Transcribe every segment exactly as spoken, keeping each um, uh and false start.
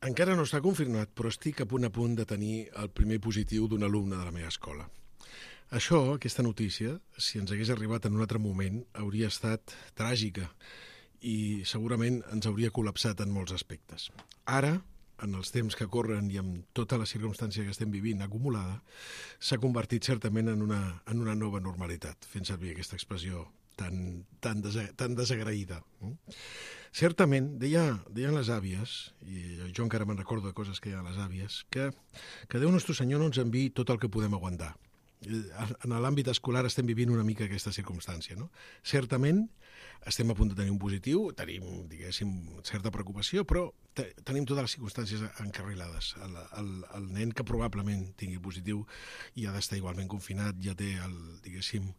Encara no està confirmat, però estic a punt a punt de tenir el primer positiu d'un alumne de la meva escola. Això, aquesta notícia, si ens hagués arribat en un altre moment, hauria estat tràgica i segurament ens hauria col·lapsat en molts aspectes. Ara, en els temps que corren i amb tota la circumstància que estem vivint acumulada, s'ha convertit certament en una, en una nova normalitat, fent servir aquesta expressió tan, tan, desa, tan desagraïda. Certament, deia, deien les àvies, i jo encara me'n recordo de coses que deien les àvies, que, que Déu Nostre Senyor no ens enviï tot el que podem aguantar. En l'àmbit escolar estem vivint una mica aquesta circumstància, no? Certament, estem a punt de tenir un positiu, tenim, diguéssim, certa preocupació, però te, tenim totes les circumstàncies encarrilades. El, el, el nen que probablement tingui positiu i ha d'estar igualment confinat, ja té, el, diguéssim,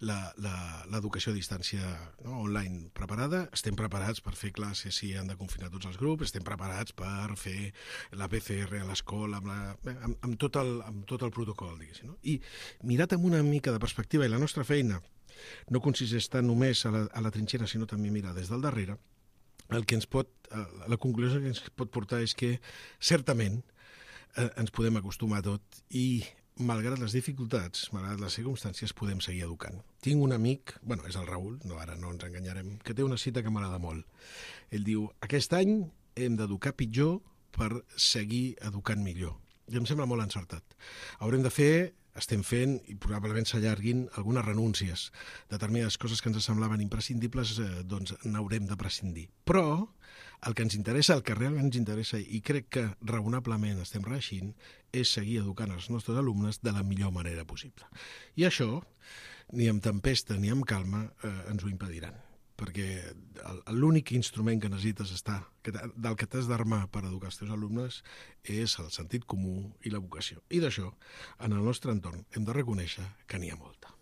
l'educació a distància, no, online preparada, estem preparats per fer classes si han de confinar tots els grups, estem preparats per fer la P C R a l'escola, amb, la, amb, amb, tot el, amb tot el protocol, diguéssim. No? I mirat amb una mica de perspectiva, i la nostra feina no consisteix tant només a la, a la trinxera, sinó també mirar des del darrere, el que ens pot, la conclusió que ens pot portar és que certament eh, ens podem acostumar a tot i malgrat les dificultats, malgrat les circumstàncies, podem seguir educant. Tinc un amic, bueno, és el Raül, no, ara no ens enganyarem, que té una cita que m'agrada molt. Ell diu, aquest any hem d'educar pitjor per seguir educant millor. I em sembla molt encertat. Haurem de fer, estem fent, i probablement s'allarguin algunes renúncies. Determinades coses que ens semblaven imprescindibles, eh, doncs n'haurem de prescindir. Però el que ens interessa, el que realment ens interessa, i crec que raonablement estem reeixint, és seguir educant els nostres alumnes de la millor manera possible. I això, ni amb tempesta ni amb calma, eh, ens ho impediran. Perquè l'únic instrument que necessites estar, del que t'has d'armar per educar els teus alumnes, és el sentit comú i la vocació. I d'això, en el nostre entorn, hem de reconèixer que n'hi ha molta.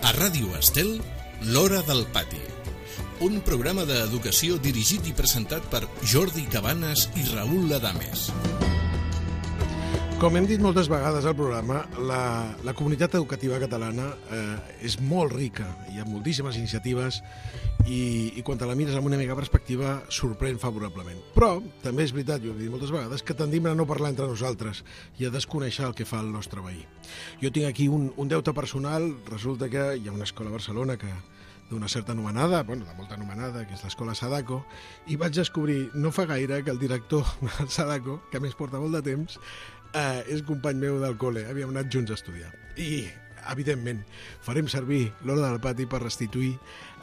A Ràdio Estel, l'Hora del Pati. Un programa d'educació dirigit i presentat per Jordi Cabanes i Raül Adames. Com hem dit moltes vegades al programa, la, la comunitat educativa catalana eh, és molt rica. Hi ha moltíssimes iniciatives i, i quan te la mires amb una mica perspectiva sorprèn favorablement. Però també és veritat, jo ho he dit moltes vegades, que tendim a no parlar entre nosaltres i a desconèixer el que fa el nostre veí. Jo tinc aquí un, un deute personal, resulta que hi ha una escola a Barcelona que d'una certa anomenada, bueno, de molta anomenada, que és l'escola Sadako, i vaig descobrir no fa gaire que el director del Sadako, que a més porta molt de temps, eh, és company meu del col·le, havíem anat junts a estudiar. I, evidentment, farem servir l'Hora del Pati per restituir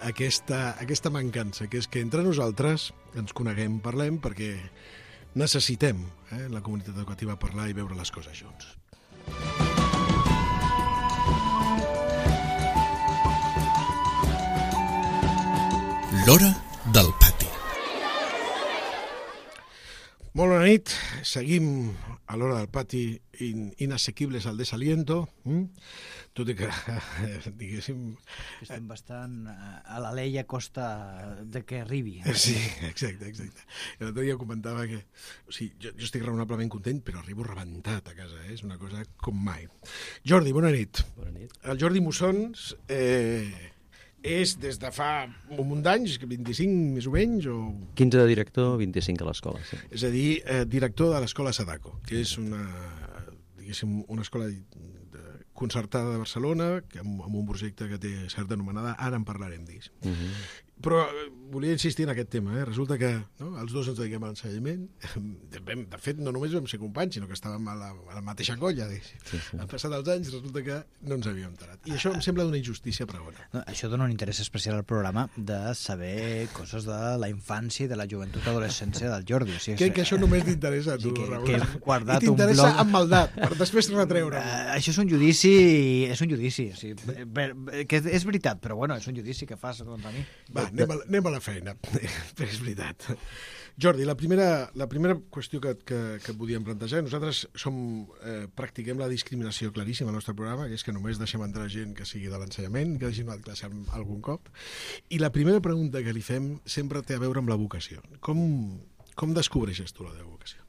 aquesta, aquesta mancança, que és que entre nosaltres ens coneguem, parlem, perquè necessitem, eh, la comunitat educativa, parlar i veure les coses junts. L'Hora del Pati. Molt bona nit, seguim a l'Hora del Pati, in, inassequibles al desaliento, mm? Tot i que, diguéssim... Estem bastant a la lei a costa de que arribi. Sí, exacte, exacte. L'altre dia comentava que... O sigui, jo, jo estic raonablement content, però arribo rebentat a casa, eh? És una cosa com mai. Jordi, bona nit. Bona nit. El Jordi Mussons... Eh... és des de fa un munt d'anys, vint-i-cinc més o menys, o... quinze de director, vint-i-cinc a l'escola, sí. És a dir, eh, director de l'escola Sadako, que és una, diguéssim, una escola concertada de Barcelona, que amb, amb un projecte que té certa anomenada, ara en parlarem, diguéssim. Uh -huh. Però volia insistir en aquest tema, eh? Resulta que no, els dos ens dediquem a l'ensenyament. De, de fet, no només vam ser companys, sinó que estàvem a la, a la mateixa colla. Sí, sí. Han passat els anys, resulta que no ens havíem enterat. I això em sembla d'una injustícia pregona. No, això dona un interès especial al programa de saber coses de la infància i de la joventut adolescència del Jordi. O sigui, Crec que això només t'interessa a tu, sí, que, Raül. Que hem guardat I t'interessa un blog... amb maldat, per després retreure. Uh, això és un judici judici, és un judici. O sigui, per, que és veritat, però bueno, és un judici que fas contra mi. Va, anem a, anem a la feina. És veritat. Jordi, la primera, la primera qüestió que, que, que podíem plantejar, nosaltres som, eh, practiquem la discriminació claríssima al nostre programa, que és que només deixem entrar gent que sigui de l'ensenyament, que hagi anat a classe algun cop, i la primera pregunta que li fem sempre té a veure amb la vocació. Com, com descobreixes tu la teva vocació?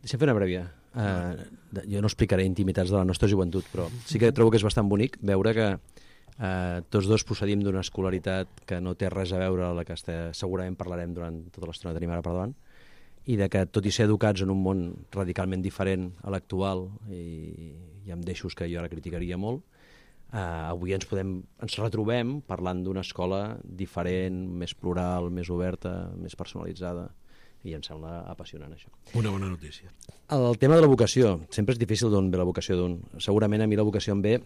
Deixa'm fer una prèvia. Uh, jo no explicaré intimitats de la nostra joventut, però sí que trobo que és bastant bonic veure que Uh, tots dos procedim d'una escolaritat que no té res a veure amb la que este, segurament parlarem durant tota l'estona que tenim ara per davant, i de que, tot i ser educats en un món radicalment diferent a l'actual i, i amb deixos que jo ara criticaria molt, uh, avui ens, podem, ens retrobem parlant d'una escola diferent, més plural, més oberta, més personalitzada, i em sembla apassionant això. Una bona notícia. El tema de la vocació, sempre és difícil d'on ve la vocació d'un. Segurament a mi la vocació em ve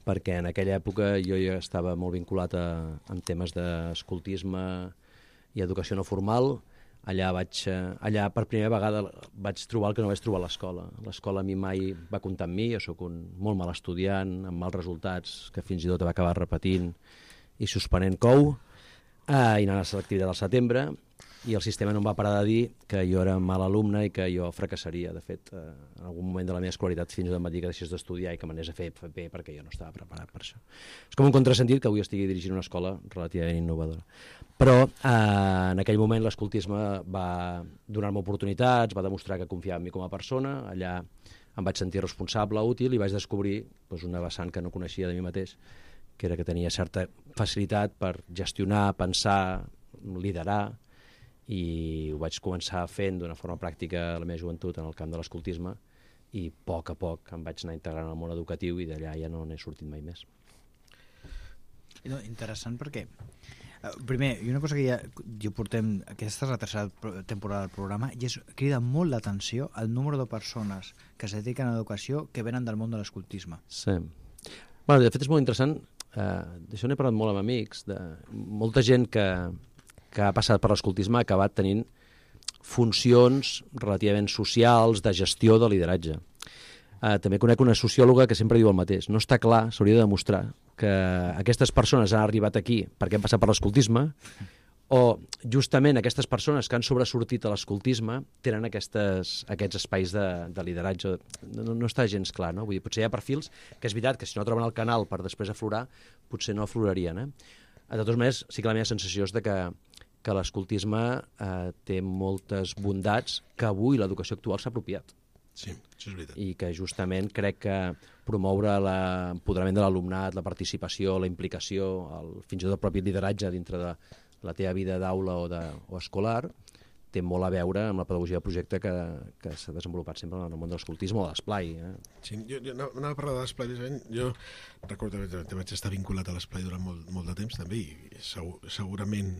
perquè en aquella època jo ja estava molt vinculat a, amb temes d'escoltisme i educació no formal. Allà, vaig, allà per primera vegada vaig trobar el que no vaig trobar a l'escola. L'escola a mi mai va comptar amb mi, jo sóc un molt mal estudiant, amb mals resultats, que fins i tot va acabar repetint i suspenent cou, eh, i anant a la selectivitat al setembre, i el sistema no em va parar de dir que jo era mal alumne i que jo fracassaria. De fet, eh, en algun moment de la meva escolaritat fins i tot em va dir que deixés d'estudiar i que m'anés a fer F P perquè jo no estava preparat per això. És com un contrasentit que avui estigui dirigint una escola relativament innovadora. Però eh, en aquell moment l'escoltisme va donar-me oportunitats, va demostrar que confiava en mi com a persona, allà em vaig sentir responsable, útil, i vaig descobrir doncs, una vessant que no coneixia de mi mateix, que era que tenia certa facilitat per gestionar, pensar, liderar, i ho vaig començar fent d'una forma pràctica a la meva joventut en el camp de l'escoltisme, i a poc a poc em vaig anar integrant al món educatiu i d'allà ja no n'he sortit mai més. No, interessant perquè, uh, primer, i una cosa que ja, jo portem, aquesta és la tercera temporada del programa, i és, crida molt l'atenció el número de persones que es dediquen a l'educació que venen del món de l'escoltisme. Sí. Bueno, de fet és molt interessant, uh, d'això n'he parlat molt amb amics, de molta gent que que ha passat per l'escoltisme ha acabat tenint funcions relativament socials, de gestió, de lideratge. Uh, també conec una sociòloga que sempre diu el mateix. No està clar, s'hauria de demostrar, que aquestes persones han arribat aquí perquè han passat per l'escoltisme, o justament aquestes persones que han sobresortit a l'escoltisme tenen aquestes, aquests espais de, de lideratge. No, no està gens clar, no? Vull dir, potser hi ha perfils que és veritat que si no troben el canal per després aflorar, potser no aflorarien, eh? De totes maneres, sí que la meva sensació és de que, que l'escoltisme eh, té moltes bondats que avui l'educació actual s'ha apropiat. Sí, això és veritat. I que justament crec que promoure l'empoderament de l'alumnat, la participació, la implicació, el, fins i tot el propi lideratge dintre de la teva vida d'aula o, de, o escolar, té molt a veure amb la pedagogia de projecte que, que s'ha desenvolupat sempre en el món de l'escoltisme o de l'esplai. Eh? Sí, jo, jo anava a parlar de l'esplai, jo recordo que vaig estar vinculat a l'esplai durant molt, molt de temps també, i segur, segurament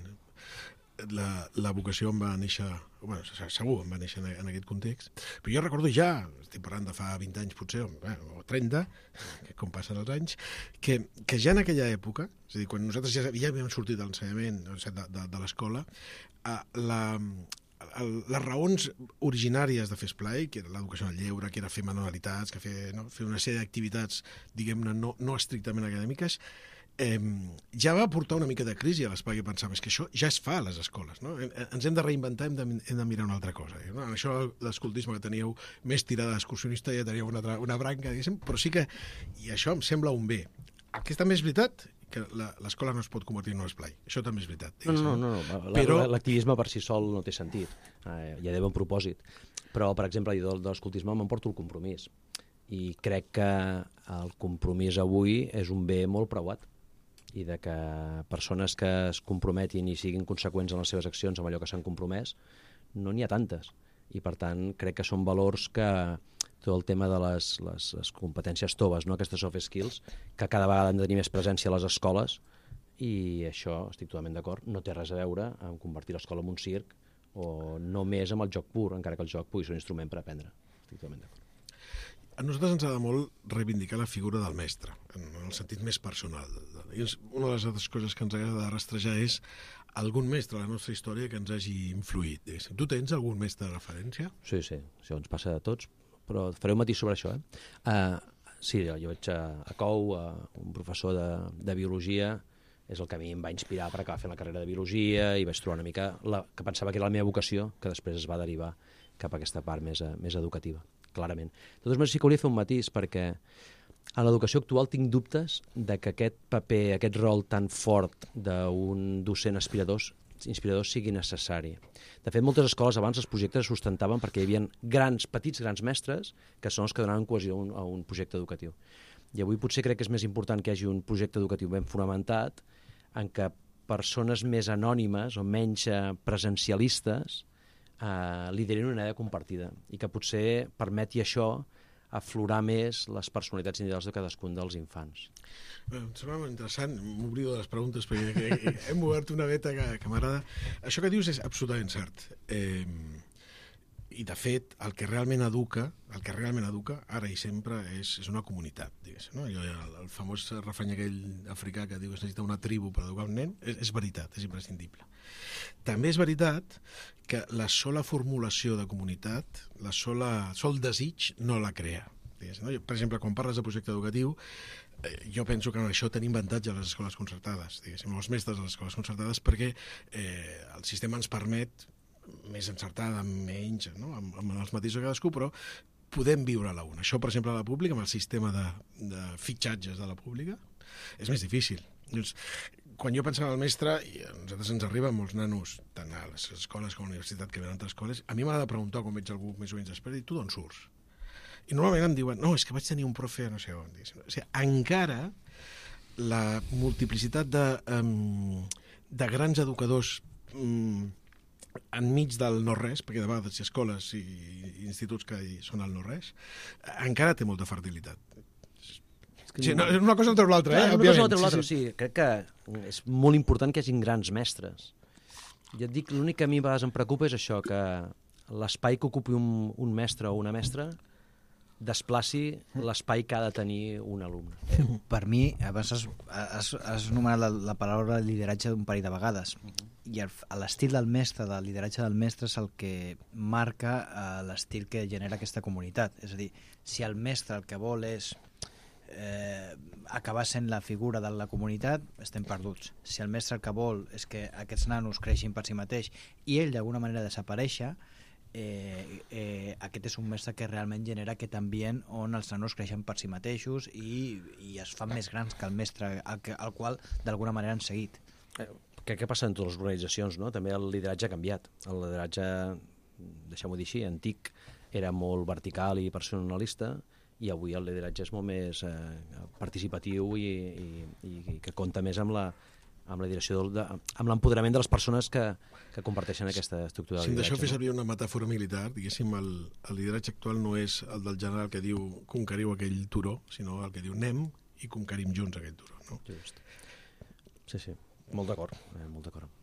la, la vocació em va néixer, bueno, segur em va néixer en, en aquest context, però jo recordo ja, estic parlant de fa vint anys potser, o trenta, que com passen els anys, que, que ja en aquella època, és a dir, quan nosaltres ja, ja havíem sortit de l'ensenyament, de, de, de l'escola, la... El, les raons originàries de fer esplai, que era l'educació al lleure, que era fer manualitats, que fer, no, fer una sèrie d'activitats, diguem-ne, no, no estrictament acadèmiques, eh, ja va portar una mica de crisi a l'esplai, que pensava, és que això ja es fa a les escoles, no? Ens hem de reinventar, hem de, hem de mirar una altra cosa. No? En això l'escoltisme que teníeu més tirada d'excursionista ja teníeu una, altra, una branca, diguéssim, però sí que, i això em sembla un bé. El que també és veritat, que l'escola no es pot convertir en un esplai. Això també és veritat. No, no, no, no. Però... l'activisme per si sol no té sentit. Eh, ja deu un propòsit. Però, per exemple, jo de l'escoltisme m'emporto el compromís. I crec que el compromís avui és un bé molt preuat. I de que persones que es comprometin i siguin conseqüents en les seves accions amb allò que s'han compromès, no n'hi ha tantes. I, per tant, crec que són valors que... tot el tema de les, les, les competències toves, no? Aquestes soft skills, que cada vegada han de tenir més presència a les escoles, i això, estic totalment d'acord, no té res a veure amb convertir l'escola en un circ o només amb el joc pur, encara que el joc pugui ser un instrument per aprendre. Estic totalment d'acord. A nosaltres ens ha de molt reivindicar la figura del mestre, en el sentit més personal. I una de les altres coses que ens agrada de rastrejar és algun mestre a la nostra història que ens hagi influït. Tu tens algun mestre de referència? Sí, sí, això ens passa a tots, però faré un matís sobre això. Eh? Uh, sí, jo vaig a, a Cou, a un professor de, de biologia, és el que a mi em va inspirar per acabar fent la carrera de biologia i vaig trobar una mica la, que pensava que era la meva vocació, que després es va derivar cap a aquesta part més, més educativa, clarament. De totes maneres, sí que hauria de fer un matís, perquè a l'educació actual tinc dubtes de que aquest paper, aquest rol tan fort d'un docent aspirador, inspirador sigui necessari. De fet, moltes escoles abans els projectes es sustentaven perquè hi havia grans, petits grans mestres que són els que donaven cohesió a un, a un projecte educatiu. I avui potser crec que és més important que hi hagi un projecte educatiu ben fonamentat en què persones més anònimes o menys presencialistes eh, liderin una idea compartida i que potser permeti això aflorar més les personalitats individuals de cadascun dels infants. Bé, em sembla molt interessant, m'oblido de les preguntes perquè hem obert una veta que, que m'agrada. Això que dius és absolutament cert. Eh, I, de fet, el que realment educa, el que realment educa, ara i sempre, és, és una comunitat, diguéssim, no? El, el famós refrany aquell africà que diu que es necessita una tribu per educar un nen, és, és veritat, és imprescindible. També és veritat que la sola formulació de comunitat, la sola, sol desig, no la crea. No? Per exemple, quan parles de projecte educatiu, eh, jo penso que en això tenim avantatge a les escoles concertades, diguéssim, els mestres de les escoles concertades, perquè eh, el sistema ens permet més encertada, menys, no? amb, amb els matisos de cadascú, però podem viure a la una. Això, per exemple, a la pública, amb el sistema de, de fitxatges de la pública, és més difícil. Doncs, quan jo pensava al mestre, i a nosaltres ens arriben molts nanos, tant a les escoles com a la universitat que venen a altres escoles, a mi m'ha de preguntar quan veig algú més o menys expert, i tu d'on surts? I normalment em diuen, no, és que vaig tenir un profe no sé on. O sigui, encara la multiplicitat de, um, de grans educadors um, enmig del no-res, perquè de vegades hi ha escoles i instituts que són al no-res, encara té molta fertilitat. que... Sí, no, una cosa no treu l'altra, eh? Clar, una cosa no treu l'altra, sí, sí. sí. Crec que és molt important que hi hagin grans mestres. Ja et dic, l'únic que a mi a vegades em preocupa és això, que l'espai que ocupi un, un mestre o una mestra desplaci l'espai que ha de tenir un alumne. Per mi, abans has, has, has anomenat la, la paraula lideratge un parell de vegades, i l'estil del mestre, del lideratge del mestre, és el que marca uh, l'estil que genera aquesta comunitat. És a dir, si el mestre el que vol és eh, acabar sent la figura de la comunitat, estem perduts. Si el mestre el que vol és que aquests nanos creixin per si mateix i ell d'alguna manera desaparèixer, Eh, eh, aquest és un mestre que realment genera aquest ambient on els nanos creixen per si mateixos i, i es fan més grans que el mestre al, que, al qual d'alguna manera han seguit. Eh, què, què passa en totes les organitzacions, no? També el lideratge ha canviat. El lideratge, deixem-ho dir així, antic, era molt vertical i personalista, i avui el lideratge és molt més eh, participatiu i, i, i que compta més amb la amb la direcció, de, amb l'empoderament de les persones que, que comparteixen aquesta estructura de lideratge. Si em deixeu fer no? servir una metàfora militar, diguéssim, el, el lideratge actual no és el del general que diu conqueriu aquell turó, sinó el que diu anem i conquerim junts aquell turó. No? Just. Sí, sí, molt d'acord, eh, molt d'acord.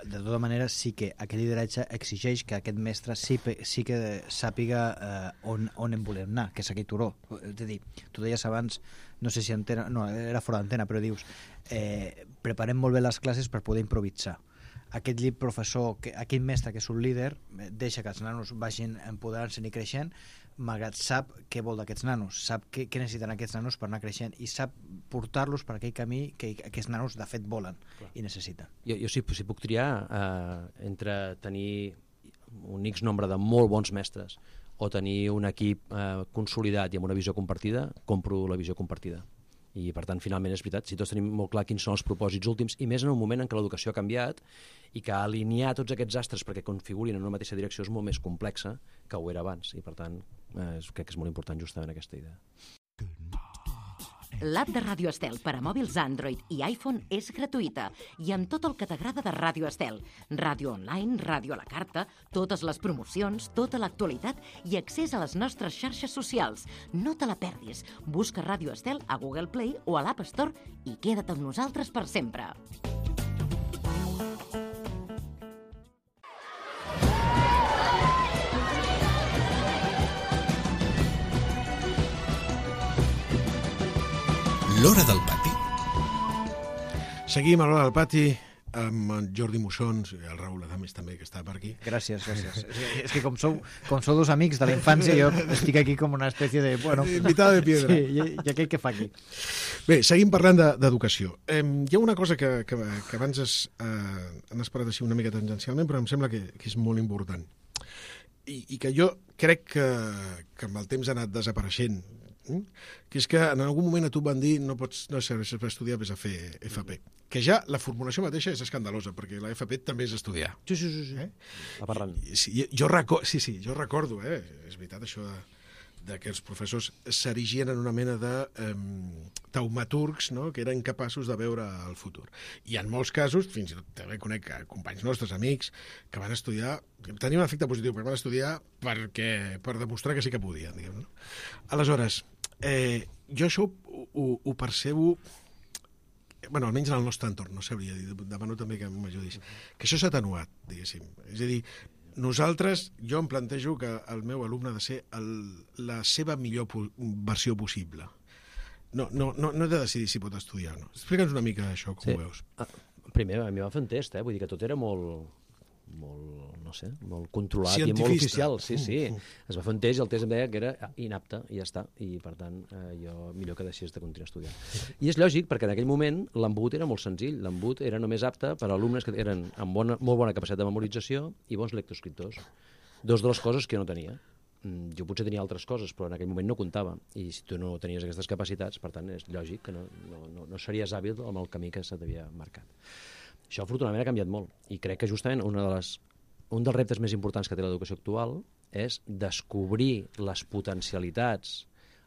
De tota manera, sí que aquest lideratge exigeix que aquest mestre sí, sí que sàpiga eh, on, on en volem anar, que és aquell turó. És a dir, tu deies abans, no sé si antena, no, era fora d'antena, però dius, eh, preparem molt bé les classes per poder improvisar. Aquest llibre professor, que, aquell mestre que és un líder, deixa que els nanos vagin empoderant-se i creixent, malgrat sap què vol d'aquests nanos, sap què, què necessiten aquests nanos per anar creixent i sap portar-los per aquell camí que aquests nanos de fet volen Clar. I necessiten. Jo, jo si, si puc triar eh, entre tenir un X nombre de molt bons mestres o tenir un equip eh, consolidat i amb una visió compartida, compro la visió compartida. I, per tant, finalment és veritat, si tots tenim molt clar quins són els propòsits últims, i més en un moment en què l'educació ha canviat i que alinear tots aquests astres perquè configurin en una mateixa direcció és molt més complexa que ho era abans, i per tant eh, crec que és molt important justament aquesta idea. L'app de Ràdio Estel per a mòbils Android i iPhone és gratuïta i amb tot el que t'agrada de Ràdio Estel. Ràdio online, ràdio a la carta, totes les promocions, tota l'actualitat i accés a les nostres xarxes socials. No te la perdis. Busca Ràdio Estel a Google Play o a l'App Store i queda't amb nosaltres per sempre. L'Hora del Pati. Seguim a l'Hora del Pati amb en Jordi Mussons, el Raül Adames també, que està per aquí. Gràcies, gràcies. És que com sou, com sou dos amics de la infància, jo estic aquí com una espècie de... Bueno, invitada de piedra. Sí, i, i aquell que fa aquí. Bé, seguim parlant d'educació. De, eh, hi ha una cosa que, que, que abans es, eh, han esperat així una mica tangencialment, però em sembla que, que és molt important. I, i que jo crec que, que amb el temps ha anat desapareixent, que és que en algun moment a tu van dir no pots no serveixes per estudiar, vés a fer F P. Que ja la formulació mateixa és escandalosa, perquè la F P també és estudiar. Sí, sí, sí. sí. Eh? Aparrant. Sí, jo recordo, sí, sí, jo recordo, eh? És veritat això de, de que els professors s'erigien en una mena de eh, taumaturgs, no?, que eren capaços de veure el futur. I en molts casos, fins i tot també conec companys nostres, amics, que van estudiar, tenien un efecte positiu, perquè van estudiar perquè, per demostrar que sí que podien, diguem, no? Aleshores, eh, jo això ho, ho, ho percebo, bueno, almenys en el nostre entorn, no sabria dir, demano també que m'ajudis, que això s'ha atenuat, diguéssim. És a dir, nosaltres, jo em plantejo que el meu alumne ha de ser el, la seva millor po versió possible. No, no, no, no he de decidir si pot estudiar o no. Explica'ns una mica això, com sí. ho veus. Ah, primer, a mi va fer un test, eh? Vull dir que tot era molt, molt, no sé, molt controlat i molt oficial. Sí, sí. Es va fer un test i el test em deia que era inapte i ja està. I, per tant, eh, jo millor que deixés de continuar estudiant. I és lògic, perquè en aquell moment l'embut era molt senzill. L'embut era només apte per a alumnes que eren amb bona, molt bona capacitat de memorització i bons lectoescriptors. Dos de les coses que jo no tenia. Jo potser tenia altres coses, però en aquell moment no comptava. I si tu no tenies aquestes capacitats, per tant, és lògic que no, no, no, no series hàbil amb el camí que se t'havia marcat. Això, afortunadament, ha canviat molt. I crec que justament una de les, un dels reptes més importants que té l'educació actual és descobrir les potencialitats,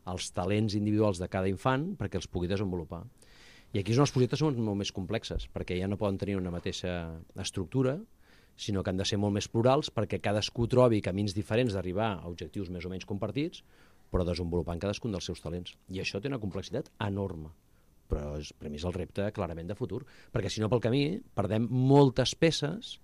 els talents individuals de cada infant perquè els pugui desenvolupar. I aquí és on els projectes són molt més complexes, perquè ja no poden tenir una mateixa estructura, sinó que han de ser molt més plurals perquè cadascú trobi camins diferents d'arribar a objectius més o menys compartits, però desenvolupant cadascun dels seus talents. I això té una complexitat enorme, però és, per mi és el repte clarament de futur, perquè si no pel camí perdem moltes peces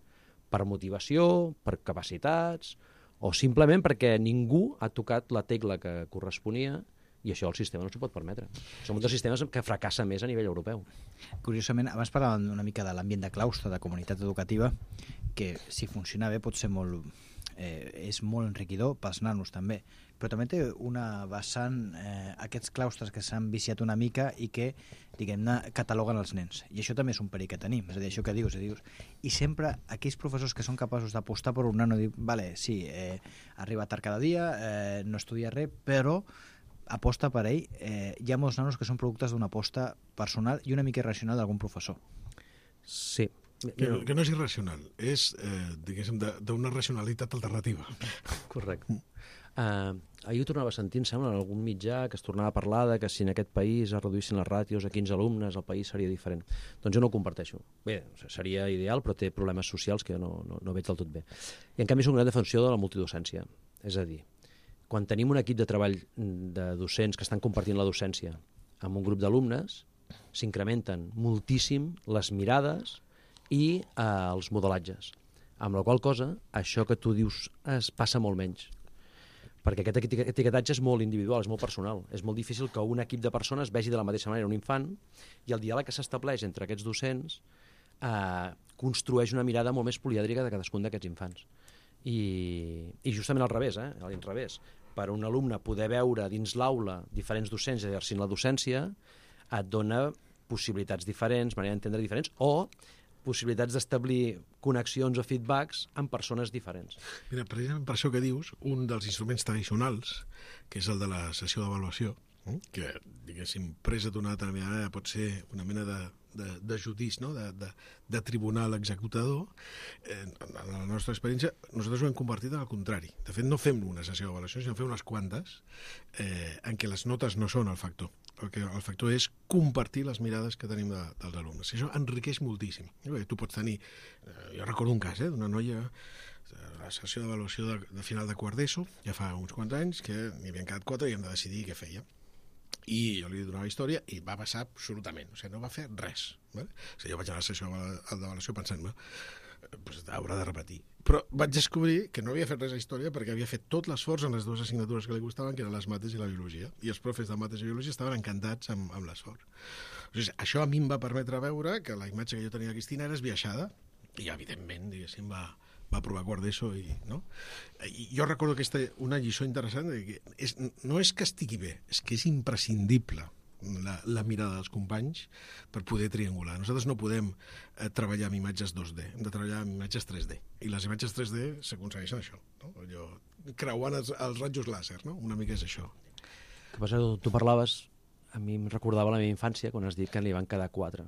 per motivació, per capacitats, o simplement perquè ningú ha tocat la tecla que corresponia i això el sistema no s'ho pot permetre. Som un dels sistemes que fracassa més a nivell europeu. Curiosament, abans parlàvem una mica de l'ambient de claustre, de comunitat educativa, que si funciona bé pot ser molt, eh, és molt enriquidor pels nanos també, però també té una vessant, eh, aquests claustres que s'han viciat una mica i que, diguem-ne, cataloguen els nens. I això també és un perill que tenim, és a dir, això que dius, dius. I sempre aquells professors que són capaços d'apostar per un nano i dir, vale, sí, eh, arriba tard cada dia, eh, no estudia res, però aposta per ell, eh, hi ha molts nanos que són productes d'una aposta personal i una mica irracional d'algun professor. Sí. Que, que no és irracional, és, eh, diguéssim, d'una racionalitat alternativa. Correcte. Uh, ahir ho tornava a sentir, em sembla, en algun mitjà que es tornava a parlar de que si en aquest país es reduïssin les ràtios a quinze alumnes, el país seria diferent. Doncs jo no ho comparteixo. Bé, seria ideal, però té problemes socials que jo no, no, no veig del tot bé. I en canvi soc una defensor de la multidocència. És a dir, quan tenim un equip de treball de docents que estan compartint la docència amb un grup d'alumnes, s'incrementen moltíssim les mirades i eh, els modelatges. Amb la qual cosa, això que tu dius es passa molt menys. Perquè aquest etiquetatge és molt individual, és molt personal. És molt difícil que un equip de persones vegi de la mateixa manera un infant i el diàleg que s'estableix entre aquests docents eh, construeix una mirada molt més polièdrica de cadascun d'aquests infants. I, i justament al revés, eh? a l'inrevés. Per un alumne poder veure dins l'aula diferents docents exercint la docència et dona possibilitats diferents, manera d'entendre diferents, o possibilitats d'establir connexions o feedbacks amb persones diferents. Mira, precisament per això que dius, un dels instruments tradicionals, que és el de la sessió d'avaluació, que, diguéssim, presa d'una determinada manera pot ser una mena de, de, de judici, no? de, de, de tribunal executador, eh, en la nostra experiència, nosaltres ho hem convertit en el contrari. De fet, no fem una sessió d'avaluació, sinó fem unes quantes eh, en què les notes no són el factor. El, que, el factor és compartir les mirades que tenim de, dels alumnes. I això enriqueix moltíssim. Tu pots tenir... Eh, jo recordo un cas, eh, d'una noia la sessió d'avaluació de, de final de quart d'ESO, ja fa uns quants anys, que n'hi havien quedat quatre i hem de decidir què feia. I jo li donava la història i va passar absolutament, o sigui, no va fer res. Vale? O sigui, jo vaig anar a la sessió d'avaluació pensant-me, pues, haurà de repetir. Però vaig descobrir que no havia fet res a història perquè havia fet tot l'esforç en les dues assignatures que li gustaven, que eren les mates i la biologia. I els profes de mates i biologia estaven encantats amb, amb l'esforç. O sigui, això a mi em va permetre veure que la imatge que jo tenia de Cristina era esbiaixada i, evidentment, diguéssim, va, va provar quart d'ESO i, no? I jo recordo aquesta, una lliçó interessant de que és, no és que estigui bé, és que és imprescindible La, la mirada dels companys per poder triangular. Nosaltres no podem eh, treballar amb imatges dos D, hem de treballar amb imatges tres D. I les imatges tres D s'aconsegueixen això, no? Allò, creuant els, els rajos làser, no? Una mica és això. Que passa, tu parlaves, a mi em recordava la meva infància quan has dit que li van quedar quatre.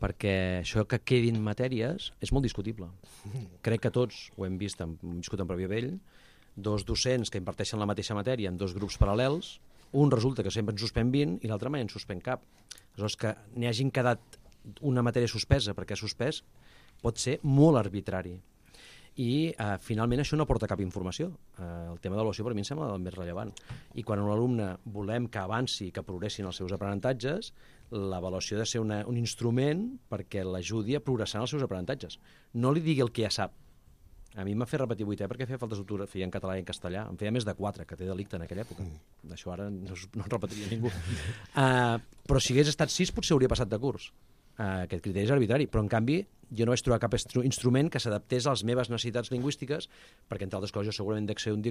Perquè això que quedin matèries és molt discutible. Crec que tots ho hem vist, hem viscut en pròpia pell, dos docents que imparteixen la mateixa matèria en dos grups paral·lels, un resulta que sempre en suspèn vint i l'altre mai en suspèn cap. Aleshores, que n'hi hagin quedat una matèria suspesa perquè ha suspès pot ser molt arbitrari. I eh, finalment això no aporta cap informació. Eh, el tema de l'avaluació per mi em sembla el més rellevant. I quan un alumne volem que avanci, que progressin els seus aprenentatges, l'avaluació ha de ser una, un instrument perquè l'ajudi a progressar en els seus aprenentatges. No li digui el que ja sap. A mi m'ha fet repetir vuitè perquè feia falta d'ortografia en català i en castellà. Em feia més de quatre, que té delicte en aquella època. Mm. Això ara no, no en repetiria ningú. uh, però si hagués estat sis potser hauria passat de curs. Uh, aquest criteri és arbitrari. Però en canvi jo no vaig trobar cap instrument que s'adaptés a les meves necessitats lingüístiques perquè, entre altres coses, jo segurament dec ser un,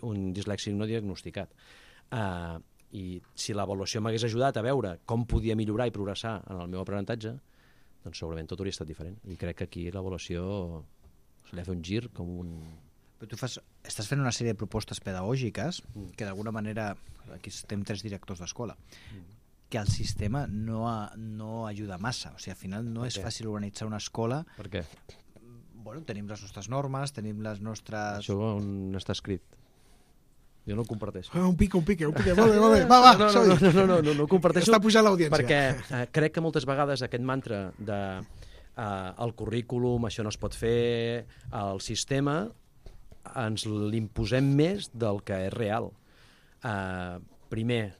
un dislèxic no diagnosticat. Uh, I si l'avaluació m'hagués ajudat a veure com podia millorar i progressar en el meu aprenentatge, doncs segurament tot hauria estat diferent. I crec que aquí l'avaluació se li ha fet un gir com un... Però tu fas, estàs fent una sèrie de propostes pedagògiques mm. que d'alguna manera, aquí estem tres directors d'escola, mm. que el sistema no, ha, no ajuda massa. O sigui, al final no és fàcil organitzar una escola. Per què? Bueno, tenim les nostres normes, tenim les nostres... Això on està escrit? Jo no ho comparteixo. Ah, un pique, un pique, un pique. Molt bé, molt bé. Va, va, no, no, no, no, no, no, no ho comparteixo. Està pujant l'audiència. Perquè eh, crec que moltes vegades aquest mantra de Uh, el currículum, això no es pot fer, el sistema, ens l'imposem més del que és real. Uh, primer,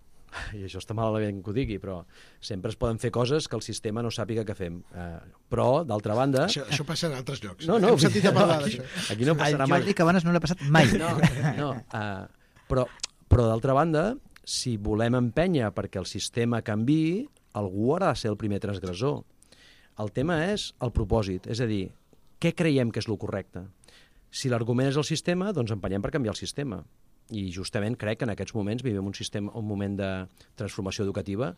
i això està malament que ho digui, però sempre es poden fer coses que el sistema no sàpiga que fem. Uh, però, d'altra banda... Això, això passa en altres llocs. No, no, Hem sentit a parlar aquí, d'això. Aquí no passarà mai. El Jordi Cabanes no l'ha passat mai. No, no uh, però, però d'altra banda, si volem empènyer perquè el sistema canviï, algú haurà de ser el primer transgressor. El tema és el propòsit, és a dir, què creiem que és el correcte? Si l'argument és el sistema, doncs empenyem per canviar el sistema. I justament crec que en aquests moments vivim un, sistema, un moment de transformació educativa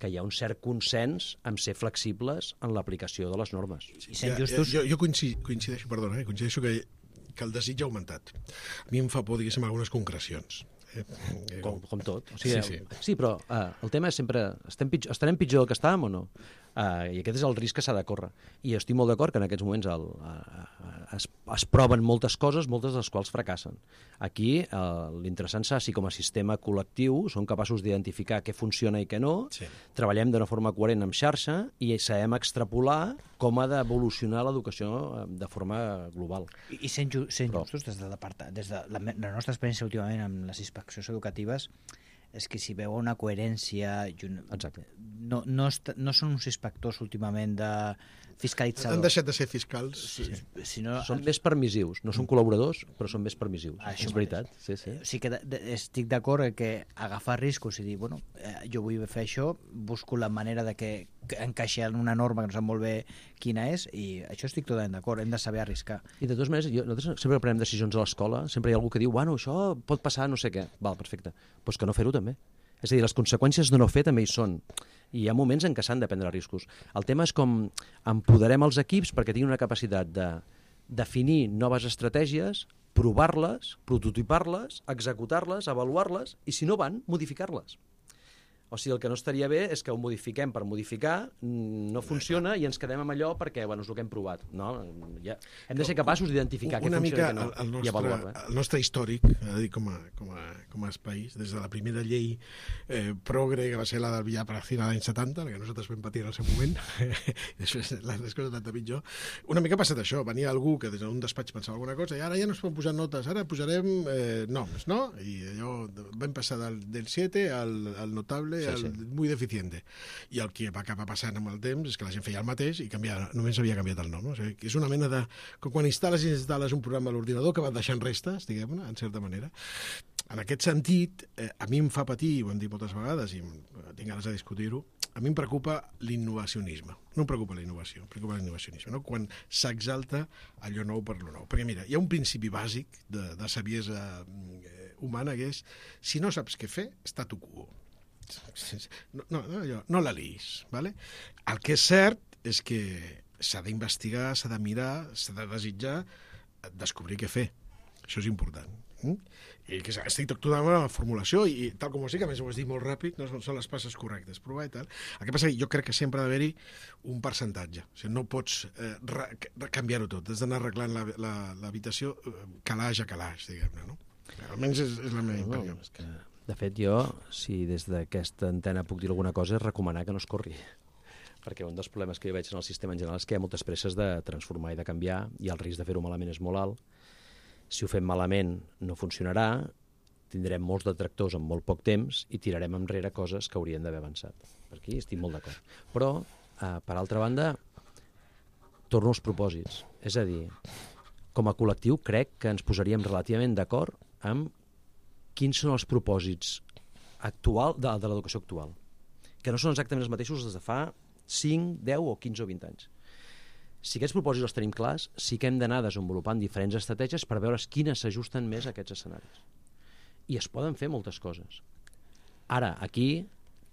que hi ha un cert consens en ser flexibles en l'aplicació de les normes. I sent justos... Jo, jo coincideixo, coincideixo, perdona, eh, coincideixo que, que el desig ha augmentat. A mi em fa por, diguéssim, algunes concrecions. Eh, com, com tot. O sigui, sí, sí. sí, però uh, el tema és sempre... Estem pitjor, estarem pitjor del que estàvem o no? Uh, I aquest és el risc que s'ha de córrer. I estic molt d'acord que en aquests moments el, uh, es, es proven moltes coses, moltes de les quals fracassen. Aquí uh, l'interessant serà si com a sistema col·lectiu som capaços d'identificar què funciona i què no, sí. Treballem d'una forma coherent amb xarxa i sabem extrapolar com ha d'evolucionar l'educació de forma global. I, i sent, ju sent Però... justos, des de, la, des de la, la nostra experiència últimament amb les inspeccions educatives, és que si veu una coherència... Un... Exacte. No, no, no són uns inspectors últimament de fiscalitzadors. Han deixat de ser fiscals. Sí, si no, són més permissius. No són col·laboradors, però són més permissius. Això és veritat. Sí, sí. O sigui que de, de, estic d'acord que agafar riscos i dir, bueno, eh, jo vull fer això, busco la manera de que, que encaixi en una norma que no sap molt bé quina és, i això estic totalment d'acord, hem de saber arriscar. I de totes maneres, jo, nosaltres sempre prenem decisions a l'escola, sempre hi ha algú que diu, bueno, això pot passar no sé què. Val, perfecte. Doncs pues que no fer-ho també. És a dir, les conseqüències de no fer també hi són. I hi ha moments en què s'han de prendre riscos. El tema és com empoderem els equips perquè tinguin una capacitat de definir noves estratègies, provar-les, prototipar-les, executar-les, avaluar-les, i si no van, modificar-les. O sigui, el que no estaria bé és que ho modifiquem per modificar, no funciona i ens quedem amb allò perquè, bueno, és el que hem provat. No? Ja, hem de ser capaços d'identificar què funciona i què no, el nostre, i avaluar-ho. Eh? El nostre històric, a dir, com a, com a, com a país, des de la primera llei eh, progre, que va ser la del Villar Paracina l'any setanta, la que nosaltres vam patir en el seu moment, i després les coses tant de pitjor, una mica ha passat això, venia algú que des d'un despatx pensava alguna cosa, i ara ja no es poden posar notes, ara posarem eh, noms, no? I allò vam passar del, del siete al, al notable ¿vale? Sí, el, sí. Muy deficiente. I el que va acabar passant amb el temps és que la gent feia el mateix i canviava, només havia canviat el nom. No? O sigui, és una mena de... Com quan instal·les i instal·les un programa a l'ordinador que va deixant restes, diguem-ne, en certa manera. En aquest sentit, eh, a mi em fa patir, ho hem dit moltes vegades i tinc ganes de discutir-ho, a mi em preocupa l'innovacionisme. No em preocupa la innovació, em preocupa l'innovacionisme, no? Quan s'exalta allò nou per lo nou. Perquè mira, hi ha un principi bàsic de, de saviesa eh, humana que és, si no saps què fer, statu quo. No, no, no, allò, no la liis, ¿vale? El que és cert és que s'ha d'investigar, s'ha de mirar, s'ha de desitjar, descobrir què fer. Això és important. Mm? I que estic totalment amb la formulació i tal com ho sé, que a més ho has dit molt ràpid, no són les passes correctes, provar i tal. El que passa és que jo crec que sempre ha d'haver-hi un percentatge. O sigui, no pots eh, canviar-ho tot, has d'anar arreglant l'habitació la, la, calaix a calaix, diguem-ne, no? Almenys és, és la meva impressió. No, és que, de fet, jo, si des d'aquesta antena puc dir alguna cosa, és recomanar que no es corri. Perquè un dels problemes que jo veig en el sistema en general és que hi ha moltes presses de transformar i de canviar i el risc de fer-ho malament és molt alt. Si ho fem malament no funcionarà, tindrem molts detractors en molt poc temps i tirarem enrere coses que haurien d'haver avançat. Per aquí estic molt d'acord. Però, eh, per altra banda, torno als propòsits. És a dir, com a col·lectiu crec que ens posaríem relativament d'acord amb quins són els propòsits actual de, de l'educació actual, que no són exactament els mateixos des de fa cinc, deu o quinze o vint anys. Si aquests propòsits els tenim clars, sí que hem d'anar desenvolupant diferents estratègies per veure quines s'ajusten més a aquests escenaris. I es poden fer moltes coses. Ara, aquí,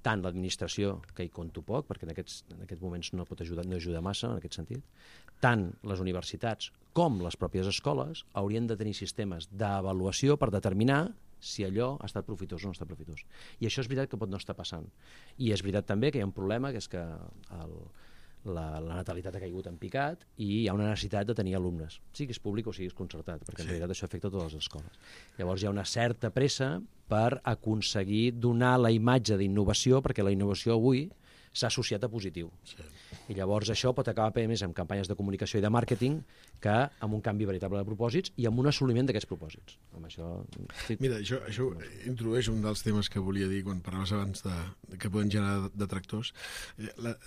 tant l'administració, que hi conto poc, perquè en aquests, en aquests moments no pot ajudar, no ajuda massa en aquest sentit, tant les universitats com les pròpies escoles haurien de tenir sistemes d'avaluació per determinar si allò ha estat profitós o no ha estat profitós. I això és veritat que pot no estar passant. I és veritat també que hi ha un problema, que és que el, la, la natalitat ha caigut en picat i hi ha una necessitat de tenir alumnes, siguis públic o siguis concertat, perquè en sí. realitat això afecta a totes les escoles. Llavors hi ha una certa pressa per aconseguir donar la imatge d'innovació, perquè la innovació avui s'ha associat a positiu. Sí. I llavors això pot acabar més amb campanyes de comunicació i de màrqueting que amb un canvi veritable de propòsits i amb un assoliment d'aquests propòsits. Amb això... Mira, això, això introdueix un dels temes que volia dir quan parlaves abans de, de que poden generar detractors.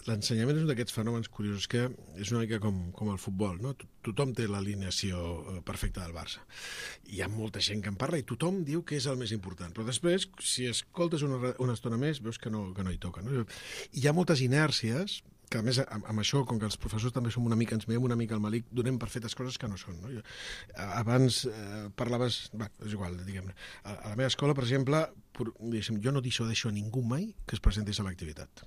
L'ensenyament és un d'aquests fenòmens curiosos que és una mica com, com el futbol, no? Tothom té l'alineació perfecta del Barça. Hi ha molta gent que en parla i tothom diu que és el més important, però després, si escoltes una, una estona més, veus que no, que no hi toca. No? Hi ha moltes inèrcies que a més amb, amb això, com que els professors també som una mica, ens veiem una mica al malic, donem per fetes coses que no són. No? Jo, abans eh, parlaves, va, és igual, diguem-ne, a, a la meva escola, per exemple, por, jo no deixo, deixo a ningú mai que es presenti a l'activitat.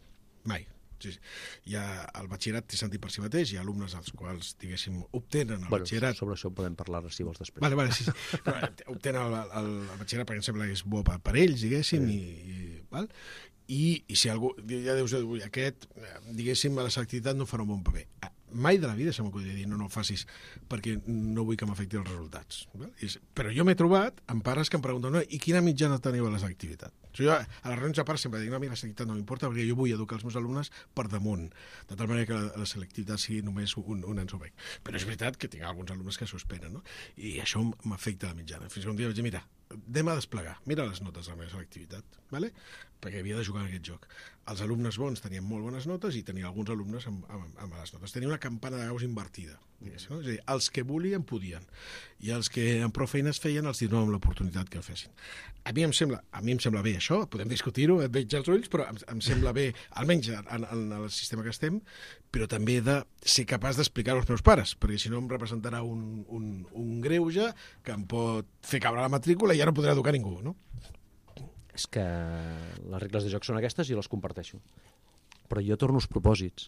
Mai. Sí, sí. Hi ha, el batxillerat té sentit per si mateix, hi ha alumnes als quals, diguéssim, obtenen el bueno, batxillerat... Sobre això podem parlar si vols després. Vale, vale, sí, sí. No, obtenen el, el, el batxillerat perquè em sembla que és bo per, per ells, diguéssim, sí. i, i, val? I, i si algú, ja deus dir, aquest, diguéssim, a la selectivitat no farà un bon paper. Mai de la vida se m'acudiria dir, no, no ho facis perquè no vull que m'afecti els resultats. Però jo m'he trobat amb pares que em pregunten, no, i quina mitjana teniu a la selectivitat? Jo a les reunions de pares sempre dic, no, a mi la selectivitat no m'importa perquè jo vull educar els meus alumnes per damunt, de tal manera que la, la selectivitat sigui només un, un ensobec. Però és veritat que tinc alguns alumnes que suspenen, no? I això m'afecta la mitjana. Fins que un dia vaig dir, mira, anem a desplegar, mira les notes de la meva selectivitat, ¿vale? Perquè havia de jugar en aquest joc. Els alumnes bons tenien molt bones notes i tenia alguns alumnes amb, amb, amb les notes. Tenia una campana de Gauss invertida. No? És a dir, els que volien podien i els que amb prou feines feien els donàvem l'oportunitat que ho fessin. A mi em sembla, a mi em sembla bé això, podem discutir-ho, et veig als ulls, però em, em sembla bé, almenys en, en el sistema que estem, però també he de ser capaç d'explicar-ho als meus pares, perquè si no em representarà un, un, un greuge que em pot fer caure la matrícula i ja no podrà educar ningú, no? És que les regles de joc són aquestes i les comparteixo. Però jo torno als propòsits.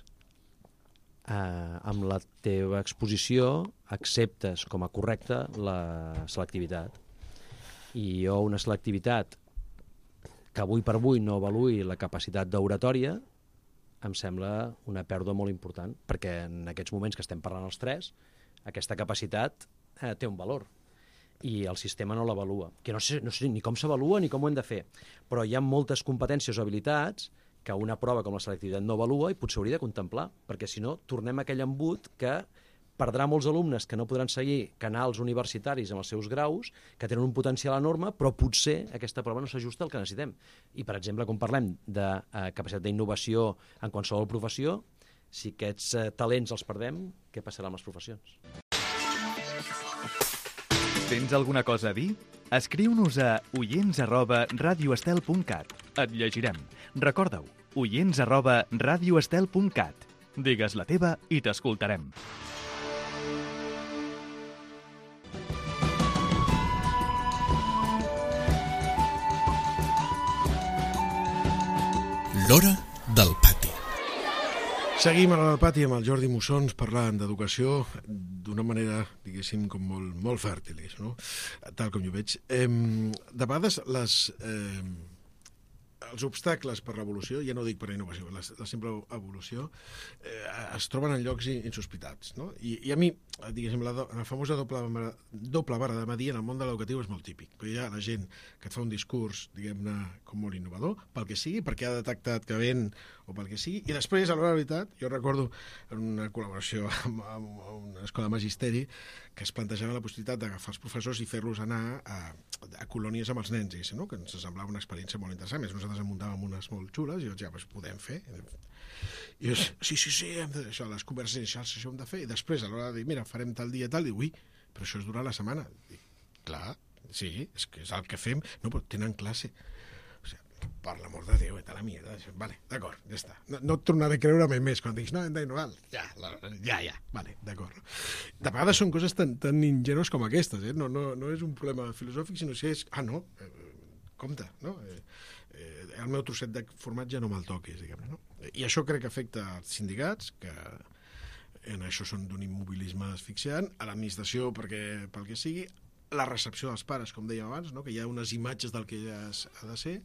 Uh, amb la teva exposició acceptes com a correcta la selectivitat. I jo una selectivitat que avui per avui no avaluï la capacitat d'oratòria em sembla una pèrdua molt important, perquè en aquests moments que estem parlant els tres, aquesta capacitat eh, té un valor. I el sistema no l'avalua. Que no sé, no sé ni com s'avalua ni com ho hem de fer. Però hi ha moltes competències o habilitats que una prova com la selectivitat no avalua i potser hauria de contemplar, perquè si no tornem a aquell embut que perdrà molts alumnes que no podran seguir canals universitaris amb els seus graus, que tenen un potencial enorme, però potser aquesta prova no s'ajusta al que necessitem. I, per exemple, quan parlem de eh, capacitat d'innovació en qualsevol professió, si aquests eh, talents els perdem, què passarà amb les professions? Tens alguna cosa a dir? Escriu-nos a oients arroba radioestel punt cat. Et llegirem. Recorda-ho, oients arroba radioestel punt cat. Digues la teva i t'escoltarem. L'hora del pati. Seguim a l'hora del pati amb el Jordi Mussons parlant d'educació d'una manera, diguéssim, com molt, molt fèrtil, no? Tal com jo veig. Eh, de vegades les... Eh, els obstacles per l'evolució, ja no dic per la innovació, la, la simple evolució, eh, es troben en llocs insospitats, no? I, i a mi, diguéssim, la, do, la famosa doble, doble vara de medir en el món de l'educatiu és molt típic, perquè hi ha la gent que et fa un discurs, diguem-ne, com molt innovador, pel que sigui, perquè ha detectat que ven o pel que sigui, i després, a l'hora de la veritat, jo recordo en una col·laboració amb, amb una escola de magisteri que es plantejava la possibilitat d'agafar els professors i fer-los anar a, a colònies amb els nens, i, no? Que ens semblava una experiència molt interessant. Més nosaltres en muntàvem unes molt xules i jo ja, pues, podem fer. I jo, sí, sí, sí, hem de, això, les converses inicials això hem de fer. I després, a l'hora de dir, mira, farem tal dia, tal, diu, ui, però això és durant la setmana. Dic, clar, sí, és que és el que fem. No, però tenen classe. O sigui, per l'amor de Déu, eta la mierda. Vale, d'acord, ja està. No, no et tornaré a creure més quan diguis, no, hem d'innovar. Ja, la, ja, ja, vale, d'acord. De vegades són coses tan, tan ingenues com aquestes, eh? No, no, no és un problema filosòfic, sinó que és, ah, no, eh, compte, no? Eh, eh, el meu trosset de formatge no me'l toquis, diguem-ne, no? I això crec que afecta als sindicats, que en això són d'un immobilisme asfixiant, a l'administració perquè, pel que sigui, la recepció dels pares, com dèiem abans, no? Que hi ha unes imatges del que ja ha de ser,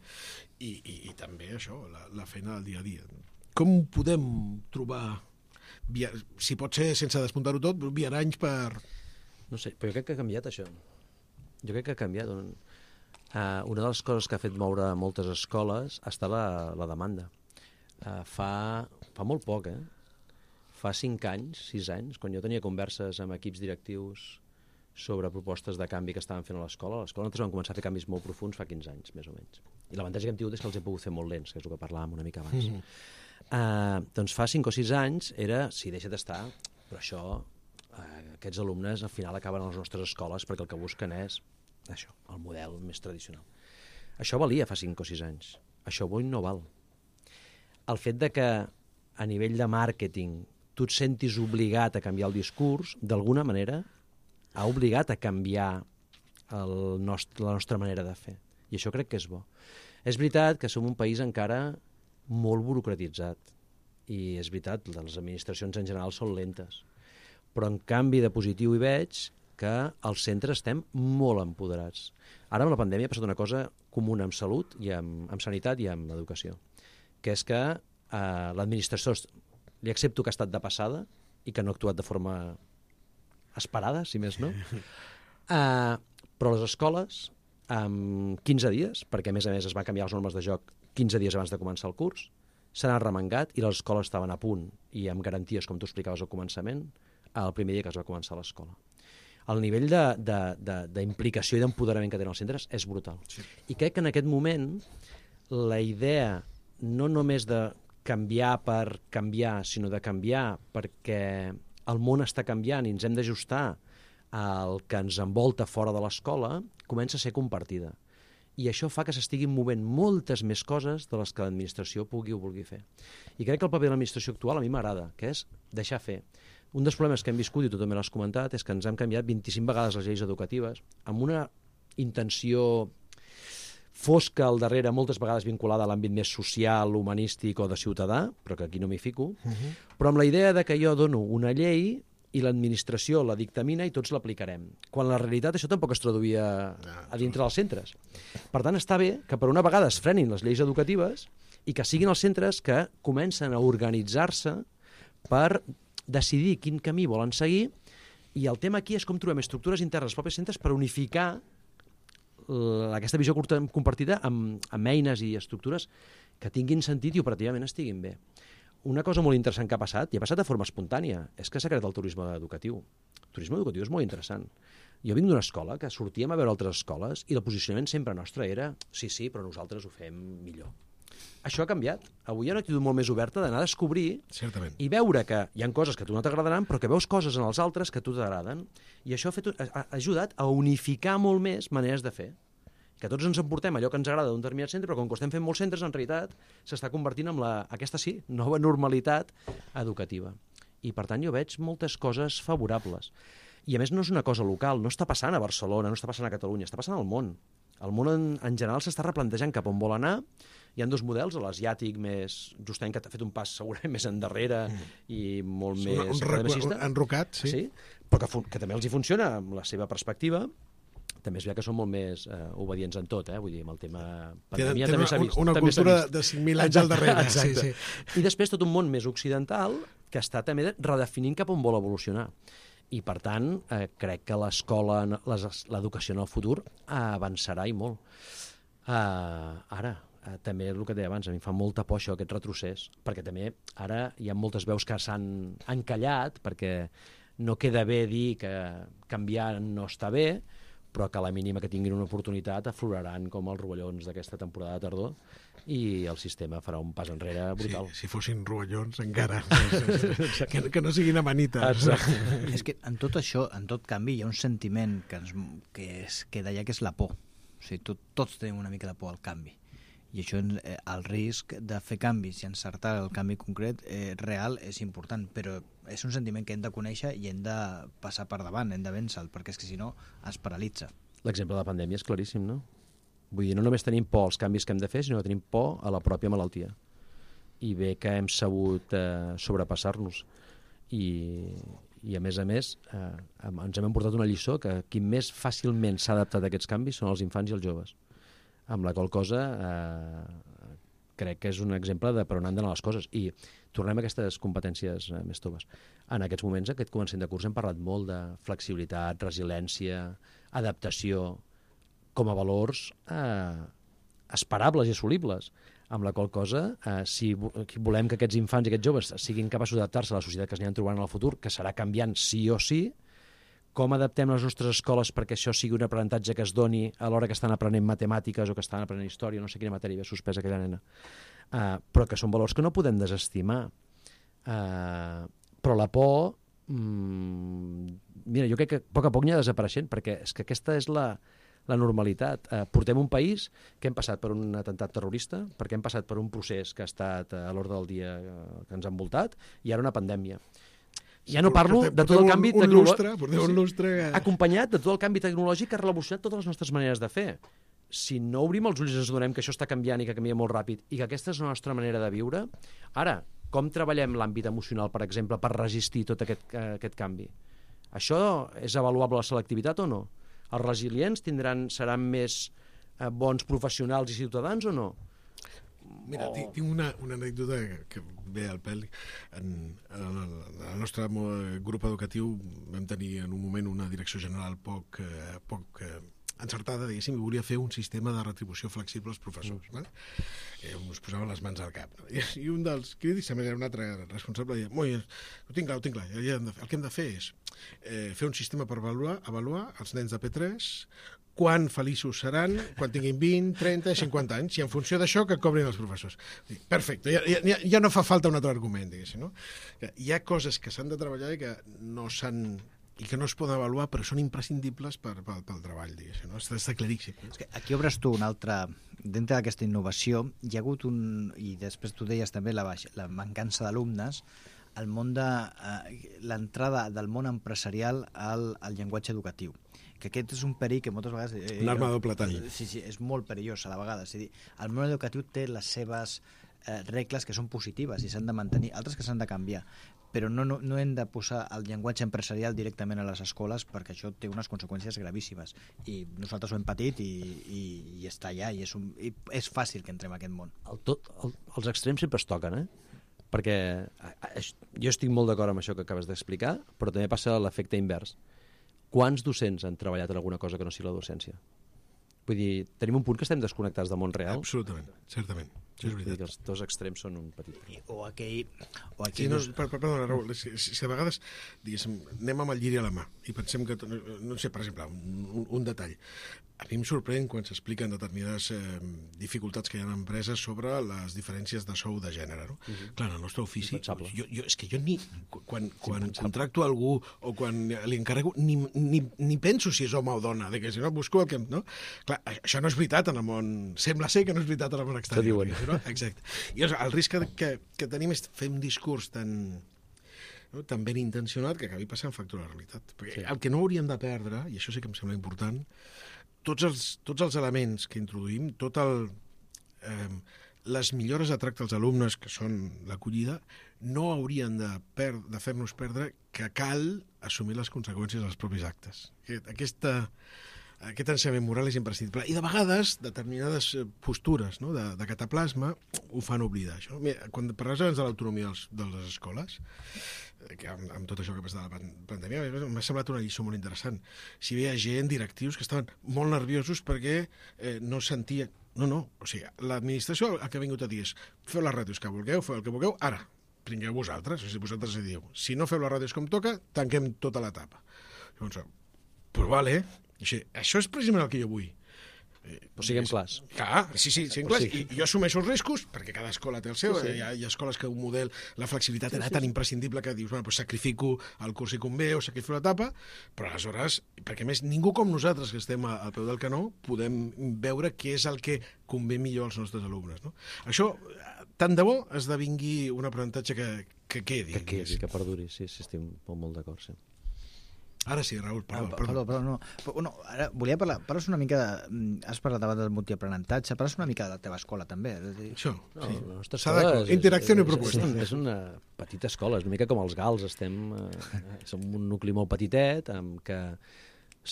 i, i, i també això, la, la feina del dia a dia. Com podem trobar, via, si pot ser sense despuntar-ho tot, viaranys per... No sé, però jo crec que ha canviat això. Jo crec que ha canviat. Uh, una de les coses que ha fet moure moltes escoles ha estat la, la demanda. Uh, fa, fa molt poc, eh? Fa cinc anys, sis anys, quan jo tenia converses amb equips directius sobre propostes de canvi que estaven fent a l'escola. A l'escola nosaltres vam començar a fer canvis molt profuns fa quinze anys, més o menys. I l'avantatge que hem tingut és que els he pogut fer molt lents, que és el que parlàvem una mica abans. Mm -hmm. uh, doncs fa cinc o sis anys era, sí, deixa d'estar, però això, uh, aquests alumnes al final acaben a les nostres escoles perquè el que busquen és això, el model més tradicional. Això valia fa cinc o sis anys. Això avui no val. El fet de que a nivell de màrqueting tu et sentis obligat a canviar el discurs, d'alguna manera ha obligat a canviar el nostre, la nostra manera de fer. I això crec que és bo. És veritat que som un país encara molt burocratitzat. I és veritat, les administracions en general són lentes. Però en canvi de positiu hi veig que als centres estem molt empoderats. Ara amb la pandèmia ha passat una cosa comuna amb salut, i amb, amb sanitat i amb educació, que és que eh, l'administració li accepto que ha estat de passada i que no ha actuat de forma esperada, si més no. Uh, però les escoles, en quinze dies, perquè a més a més es van canviar les normes de joc quinze dies abans de començar el curs, s'han arremangat i les escoles estaven a punt i amb garanties, com tu explicaves al començament, el primer dia que es va començar l'escola. El nivell d'implicació i d'empoderament que tenen els centres és brutal. Sí. I crec que en aquest moment la idea no només de canviar per canviar, sinó de canviar perquè el món està canviant i ens hem d'ajustar al que ens envolta fora de l'escola, comença a ser compartida. I això fa que s'estiguin movent moltes més coses de les que l'administració pugui o vulgui fer. I crec que el paper de l'administració actual a mi m'agrada, que és deixar fer. Un dels problemes que hem viscut, i tu també l'has comentat, és que ens hem canviat vint-i-cinc vegades les lleis educatives amb una intenció fosca al darrere, moltes vegades vinculada a l'àmbit més social, humanístic o de ciutadà, però que aquí no m'hi fico, uh-huh. Però amb la idea de que jo dono una llei i l'administració la dictamina i tots l'aplicarem. Quan la realitat això tampoc es traduïa a dintre dels centres. Per tant, està bé que per una vegada es frenin les lleis educatives i que siguin els centres que comencen a organitzar-se per decidir quin camí volen seguir, i el tema aquí és com trobem estructures internes als propis centres per unificar aquesta visió compartida amb, amb eines i estructures que tinguin sentit i operativament estiguin bé. una cosa molt interessant que ha passat, i ha passat de forma espontània, és que s'ha creat el turisme educatiu. El turisme educatiu és molt interessant. Jo vinc d'una escola que sortíem a veure altres escoles i el posicionament sempre nostre era sí, sí, però nosaltres ho fem millor. Això ha canviat. Avui hi ha una actitud molt més oberta d'anar a descobrir Certament. i veure que hi ha coses que a tu no t'agradaran, però que veus coses en els altres que a tu t'agraden. I això ha, fet, ha, ha ajudat a unificar molt més maneres de fer. Que tots ens emportem allò que ens agrada d'un determinat centre, però com que estem fent molts centres, en realitat s'està convertint en la, aquesta sí, nova normalitat educativa. I per tant jo veig moltes coses favorables. I a més no és una cosa local, no està passant a Barcelona, no està passant a Catalunya, està passant al món. El món en, en general s'està replantejant cap on vol anar. Hi ha dos models, l'asiàtic més justament que ha fet un pas segurament més endarrere mm. i molt sí, més un enrocat, sí. sí. Però que, que també els hi funciona amb la seva perspectiva. També és veritat que són molt més eh, obedients en tot, eh? Vull dir, amb el tema pandèmia Tenen, també s'ha vist. Una també cultura de cinc mil anys al darrere. Exacte. Sí, sí. I després tot un món més occidental que està també redefinint cap on vol evolucionar. I, per tant, eh, crec que l'escola, l'educació en el futur avançarà i molt. Uh, ara, uh, també el que deia abans, a mi em fa molta por això, aquest retrocés, perquè també ara hi ha moltes veus que s'han encallat, perquè no queda bé dir que canviar no està bé, però que a la mínima que tinguin una oportunitat afloraran com els rovellons d'aquesta temporada de tardor i el sistema farà un pas enrere brutal. Sí, si fossin rovellons encara, que, que no siguin amanites. Exacte. És que en tot això, en tot canvi, hi ha un sentiment que, ens, que, és, que deia que és la por. O sigui, tot, tots tenim una mica de por al canvi. I això, eh, el risc de fer canvis i encertar el canvi concret eh, real és important, però és un sentiment que hem de conèixer i hem de passar per davant, hem de vèncer-lo, perquè és que si no es paralitza. L'exemple de la pandèmia és claríssim, no? Vull dir, no només tenim por als canvis que hem de fer, sinó que tenim por a la pròpia malaltia. I bé que hem sabut eh, sobrepassar-nos. I, I a més a més, eh, ens hem emportat una lliçó que qui més fàcilment s'ha adaptat a aquests canvis són els infants i els joves. Amb la qual cosa eh, crec que és un exemple de per on han d'anar les coses. I tornem a aquestes competències eh, més toves. En aquests moments, aquest començament de curs, hem parlat molt de flexibilitat, resiliència, adaptació, com a valors eh, esperables i assolibles, amb la qual cosa, eh, si volem que aquests infants i aquests joves siguin capaços d'adaptar-se a la societat que es aniran trobant en el futur, que serà canviant sí o sí, com adaptem les nostres escoles perquè això sigui un aprenentatge que es doni a l'hora que estan aprenent matemàtiques o que estan aprenent història, no sé quina matèria havia suspès aquella nena, uh, però que són valors que no podem desestimar. Uh, però la por, mm, mira, jo crec que a poc a poc anirà desapareixent, perquè és que aquesta és la, la normalitat. Uh, portem un país que hem passat per un atemptat terrorista, perquè hem passat per un procés que ha estat a l'ordre del dia uh, que ens ha envoltat, i ara una pandèmia. Ja no parlo de tot el canvi tecnològic, acompanyat de tot el canvi tecnològic que ha revolucionat totes les nostres maneres de fer. Si no obrim els ulls i ens adonem que això està canviant i que canvia molt ràpid i que aquesta és la nostra manera de viure, ara, com treballem l'àmbit emocional, per exemple, per resistir tot aquest, uh, aquest canvi? Això és avaluable la selectivitat o no? Els resilients tindran, seran més uh, bons professionals i ciutadans o no? Mira, oh. tinc una, una anècdota que ve al pèl. En, en, el, en el nostre grup educatiu vam tenir en un moment una direcció general poc, eh, poc eh, encertada, diguéssim, i volia fer un sistema de retribució flexible als professors. Mm. Vale? Eh, us posaven les mans al cap. No? I, I un dels crítics, també era un altre responsable, deia, molt bé, ho tinc clar, ho tinc clar. El que hem de fer és eh, fer un sistema per avaluar, avaluar els nens de P tres, quan feliços seran, quan tinguin vint, trenta, cinquanta anys, i en funció d'això que cobrin els professors. Perfecte, ja, ja, ja no fa falta un altre argument, diguéssim, no? Hi ha coses que s'han de treballar i que no s'han i que no es poden avaluar, però són imprescindibles per, per, pel treball, diguéssim, no? Està, està claríssim. És que aquí obres tu un altre... Dintre d'aquesta innovació, hi ha hagut un... I després tu deies també la, baixa, la mancança d'alumnes, el món de... Eh, l'entrada del món empresarial al, al llenguatge educatiu. Que aquest és un perill que moltes vegades... Eh, un arma de doble tall. Sí, sí, és molt perillós a la vegada. És a dir, el món educatiu té les seves eh, regles que són positives i s'han de mantenir, altres que s'han de canviar, però no, no, no hem de posar el llenguatge empresarial directament a les escoles perquè això té unes conseqüències gravíssimes. I nosaltres ho hem patit i, i, i està allà, i és, un, i és fàcil que entrem a aquest món. El tot, el, els extrems sempre es toquen, eh? Perquè jo estic molt d'acord amb això que acabes d'explicar, però també passa l'efecte invers. Quants docents han treballat en alguna cosa que no sigui la docència? Vull dir, tenim un punt que estem desconnectats del món real. Absolutament, certament. és veritat. Que els dos extrems són un petit... O aquell... O Sí, aquell no, per, per, perdona, Raül, si, si, si a vegades, diguéssim, anem amb el lliri a la mà i pensem que, no, no sé, per exemple, un, un detall. A mi em sorprèn quan s'expliquen determinades eh, dificultats que hi ha en empreses sobre les diferències de sou de gènere. No? Uh-huh. Clar, en el nostre ofici, jo, jo, és que jo ni, quan, quan contracto algú o quan li encarrego, ni, ni, ni penso si és home o dona, de que si no busco el que... No? Clar, això no és veritat en el món... Sembla ser que no és veritat en el món exterior. No? Exacte. I el, el risc que, que, que tenim és fer un discurs tan... No? tan ben intencionat que acabi passant factura a la realitat. Perquè sí. El que no hauríem de perdre, i això sí que em sembla important, tots els, tots els elements que introduïm, tot el, eh, les millores de tracte als alumnes, que són l'acollida, no haurien de, per, de fer-nos perdre que cal assumir les conseqüències dels propis actes. Aquesta, aquest ensenyament moral és imprescindible. I de vegades, determinades postures, no? de, de cataplasma ho fan oblidar. Això. Mira, quan parles abans de l'autonomia de les escoles, que amb, amb tot això que passa de la pandèmia, m'ha semblat una lliçó molt interessant. Si hi havia gent, directius, que estaven molt nerviosos perquè eh, no sentien... No, no, o sigui, l'administració el que ha vingut a dir és feu les ràdios que vulgueu, feu el que vulgueu, ara, prengueu vosaltres, o sigui, vosaltres diu, si no feu les ràdios com toca, tanquem tota l'etapa. Llavors, però vale, així, això és precisament el que jo vull. Però siguem clars. Clar, sí, sí, siguem clars. I jo assumeixo els riscos, perquè cada escola té el seu. Sí, sí. Hi, ha, hi ha escoles que un model, la flexibilitat era tan imprescindible que dius, bueno, doncs sacrifico el curs i convé o sacrifico l'etapa, però aleshores, perquè més ningú com nosaltres que estem al peu del canó podem veure què és el que convé millor als nostres alumnes. No? Això, tant de bo, esdevingui un aprenentatge que, que quedi. Que quedi, que perduri, sí, sí, estic molt, molt d'acord, sí. Ara sí, Raül, perdó. Ah, perdó, perdó, no. Però, no, ara volia parlar, parles una mica de... Has parlat abans del multiaprenentatge, parles una mica de la teva escola, també. És dir... Això, no, sí. La nostra escola és, interacció és, i proposta. És, és una petita escola, és una mica com els gals, estem... Eh, som un nucli molt petitet, amb que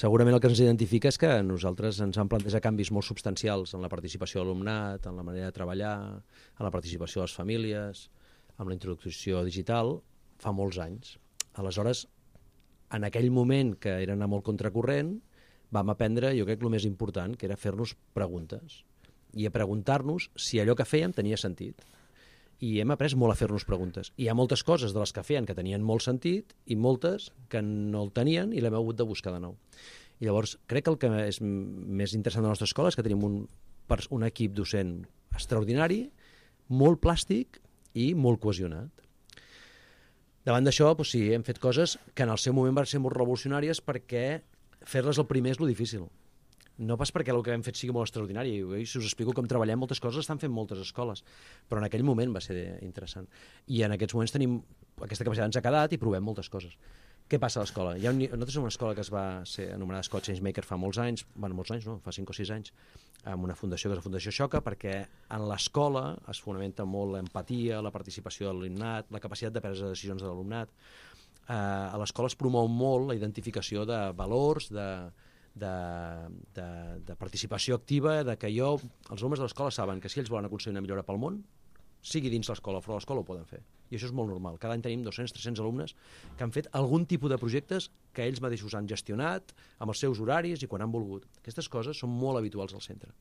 segurament el que ens identifica és que nosaltres ens vam plantejar canvis molt substancials en la participació de l'alumnat, en la manera de treballar, en la participació de les famílies, amb la introducció digital, fa molts anys. Aleshores, en aquell moment, que era anar molt contracorrent, vam aprendre, jo crec, el més important, que era fer-nos preguntes. I a preguntar-nos si allò que fèiem tenia sentit. I hem après molt a fer-nos preguntes. I hi ha moltes coses de les que feien que tenien molt sentit i moltes que no el tenien i l'hem hagut de buscar de nou. I llavors, crec que el que és més interessant de la nostra escola és que tenim un, un equip docent extraordinari, molt plàstic i molt cohesionat. Davant d'això, doncs sí, hem fet coses que en el seu moment van ser molt revolucionàries perquè fer-les el primer és lo difícil. No pas perquè el que hem fet sigui molt extraordinari. Si us explico com treballem, moltes coses estan fent moltes escoles, però en aquell moment va ser interessant. I en aquests moments tenim aquesta capacitat, ens ha quedat i provem moltes coses. Què passa a l'escola? Hi ha un, nosaltres som una escola que es va ser anomenada Escola Changemaker fa molts anys, bueno, molts anys no, fa cinc o sis anys, amb una fundació que és la Fundació Xoca, perquè en l'escola es fonamenta molt l'empatia, la participació de l'alumnat, la capacitat de prendre decisions de l'alumnat. Eh, a l'escola es promou molt la identificació de valors, de, de, de, de participació activa, de que jo, els alumnes de l'escola saben que si ells volen aconseguir una millora pel món, sigui dins l'escola o fora de l'escola, ho poden fer. I això és molt normal. Cada any tenim dos-cents a tres-cents alumnes que han fet algun tipus de projectes que ells mateixos han gestionat amb els seus horaris i quan han volgut. Aquestes coses són molt habituals al centre.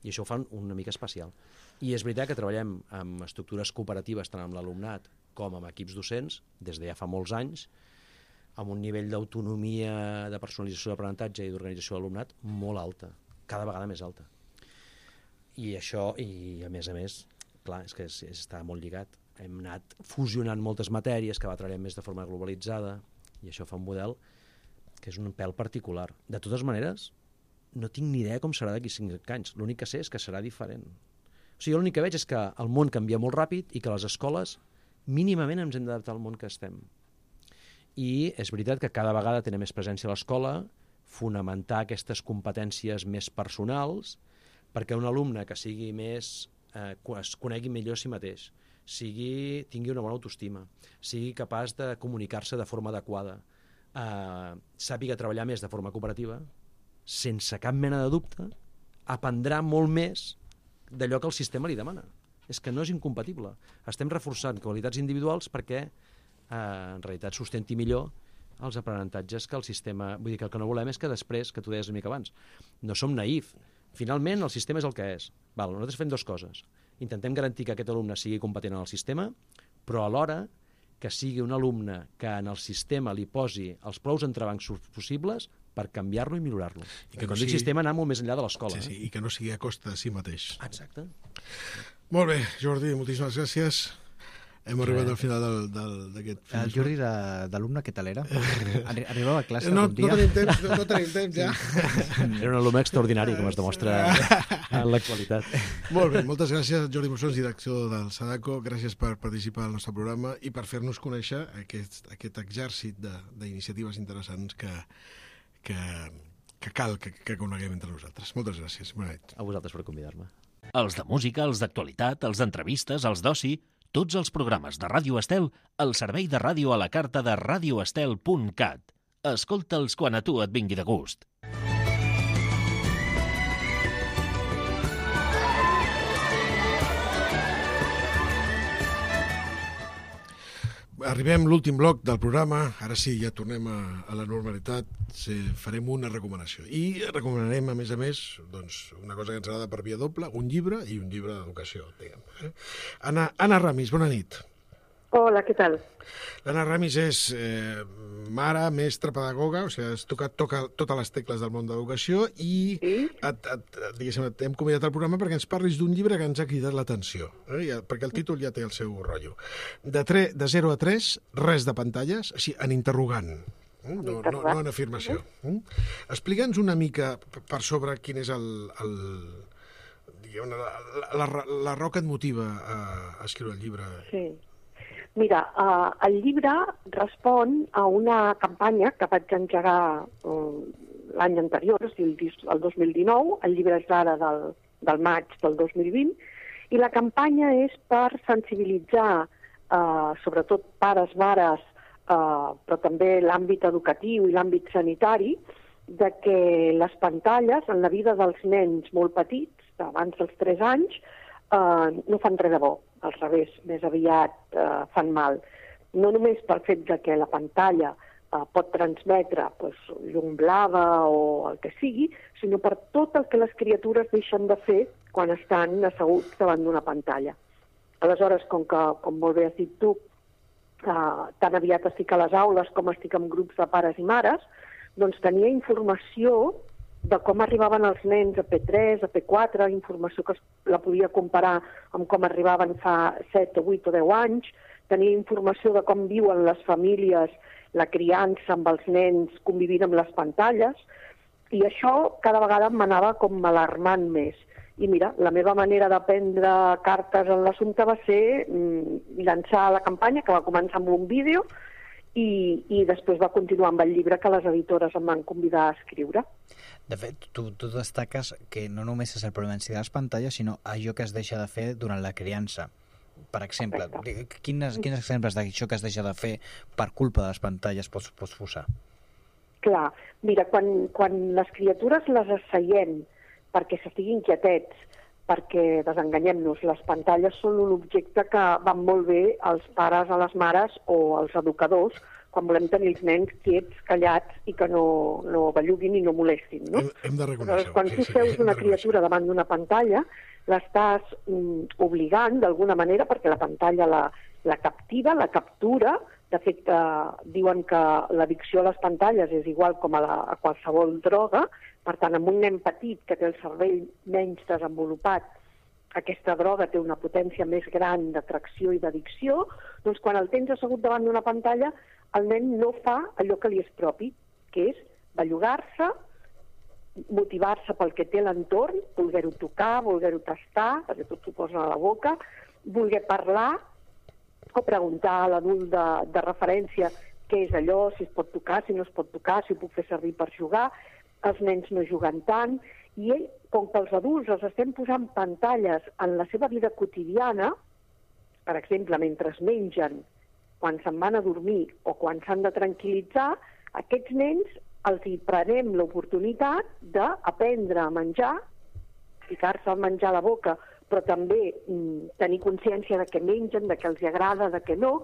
I això ho fan una mica especial. I és veritat que treballem amb estructures cooperatives tant amb l'alumnat com amb equips docents des de ja fa molts anys, amb un nivell d'autonomia, de personalització d'aprenentatge i d'organització de l'alumnat molt alta, cada vegada més alta. I això, i a més a més, clar, és que és, està molt lligat. Hem anat fusionant moltes matèries que va treballar més de forma globalitzada i això fa un model que és un pèl particular. De totes maneres, no tinc ni idea com serà d'aquí cinc anys. L'únic que sé és que serà diferent. O sigui, l'únic que veig és que el món canvia molt ràpid i que les escoles mínimament ens hem d'adaptar al món que estem. I és veritat que cada vegada té més presència a l'escola, fonamentar aquestes competències més personals perquè un alumne que sigui més eh, es conegui millor a si mateix, sigui, tingui una bona autoestima, sigui capaç de comunicar-se de forma adequada, eh, sàpiga treballar més de forma cooperativa, sense cap mena de dubte, aprendrà molt més d'allò que el sistema li demana. És que no és incompatible. Estem reforçant qualitats individuals perquè eh, en realitat sustenti millor els aprenentatges que el sistema... Vull dir que el que no volem és que després, que tu deies una mica abans, no som naïf. Finalment, el sistema és el que és. Val, nosaltres fem dues coses. intentem garantir que aquest alumne sigui competent en el sistema, però alhora que sigui un alumne que en el sistema li posi els prous entrebancs possibles per canviar-lo i millorar-lo. I que no sigui... sistema anar molt més enllà de l'escola. Sí, sí, i que no sigui a costa de si mateix. Exacte. Molt bé, Jordi, moltíssimes gràcies. Hem arribat al final d'aquest... El Jordi d'alumne, què tal era? Arribava a classe no, algun dia? No tenim temps, no, no tenim temps ja. Era un alumne extraordinari, com es demostra en l'actualitat. Molt bé, moltes gràcies, Jordi Mossons, director del Sadako. Gràcies per participar al nostre programa i per fer-nos conèixer aquest, aquest exèrcit d'iniciatives interessants que, que, que cal que, que coneguem entre nosaltres. Moltes gràcies. Bona nit. A vosaltres per convidar-me. Els de música, els d'actualitat, els d'entrevistes, els d'oci... Tots els programes de Ràdio Estel al servei de ràdio a la carta de radio estel punt cat. Escolta'ls quan a tu et vingui de gust. Arribem a l'últim bloc del programa. Ara sí, ja tornem a, a la normalitat. Sí, farem una recomanació. I recomanarem, a més a més, doncs, una cosa que ens agrada per via doble, un llibre i un llibre d'educació. Anna, Anna Ramis, bona nit. Hola, què tal? L'Anna Ramis és eh, mare, mestra, pedagoga, o sigui, has tocat toca, totes les tecles del món de l'educació i sí? et, et, diguéssim, t'hem convidat al programa perquè ens parlis d'un llibre que ens ha cridat l'atenció, eh? Perquè el títol ja té el seu rotllo. De, tre, de zero a tres, res de pantalles, així, en interrogant. Eh? No, no, no en afirmació. Eh? Explica'ns una mica per sobre quin és el... el diguem, la, la, la, la raó que et motiva a, a escriure el llibre. Sí. Mira, uh, el llibre respon a una campanya que vaig engegar uh, l'any anterior, o sigui, el, el dos mil dinou, el llibre és d'ara del, del maig del dos mil vint, i la campanya és per sensibilitzar, uh, sobretot pares, mares, uh, però també l'àmbit educatiu i l'àmbit sanitari, de que les pantalles en la vida dels nens molt petits, abans dels tres anys, uh, no fan res de bo. Al revés, més aviat eh, fan mal. No només pel fet de que la pantalla eh, pot transmetre pues, llum blava o el que sigui, sinó per tot el que les criatures deixen de fer quan estan asseguts davant d'una pantalla. Aleshores, com que, com molt bé has dit tu, eh, tan aviat estic a les aules com estic en grups de pares i mares, doncs tenia informació de com arribaven els nens a P tres, a P quatre, informació que la podia comparar amb com arribaven fa set, vuit o deu anys, tenia informació de com viuen les famílies, la criança amb els nens convivint amb les pantalles, i això cada vegada m'anava com alarmant més. I mira, la meva manera de prendre cartes en l'assumpte va ser mm, llançar la campanya, que va començar amb un vídeo, i, i després va continuar amb el llibre que les editores em van convidar a escriure. De fet, tu, tu destaques que no només és el problema en si de les pantalles, sinó allò que es deixa de fer durant la criança. Per exemple, quins, quins exemples d'això que es deixa de fer per culpa de les pantalles pots, pots posar? Clar, mira, quan, quan les criatures les asseiem perquè s'estiguin quietets, perquè desenganyem-nos, les pantalles són un objecte que van molt bé als pares, a les mares o als educadors quan volem tenir els nens quiets, callats i que no, no belluguin i no molestin, no? Hem, hem de reconèixer. Quan tu seus una criatura davant d'una pantalla, l'estàs mm, obligant d'alguna manera perquè la pantalla la, la captiva, la captura. De fet, eh, diuen que l'addicció a les pantalles és igual com a, la, a qualsevol droga. Per tant, amb un nen petit que té el cervell menys desenvolupat, aquesta droga té una potència més gran d'atracció i d'addicció, doncs quan el tens assegut davant d'una pantalla, el nen no fa allò que li és propi, que és bellugar-se, motivar-se pel que té l'entorn, voler-ho tocar, voler-ho tastar, perquè tot s'ho posa a la boca, voler parlar o preguntar a l'adult de, de referència què és allò, si es pot tocar, si no es pot tocar, si ho puc fer servir per jugar. Els nens no juguen tant, i ell, com que els adults els estem posant pantalles en la seva vida quotidiana, per exemple, mentre es mengen, quan se'n van a dormir o quan s'han de tranquil·litzar, aquests nens els hi prenem l'oportunitat d'aprendre a menjar, ficar-se a menjar a la boca, però també mm, tenir consciència de què mengen, de què els agrada, de què no,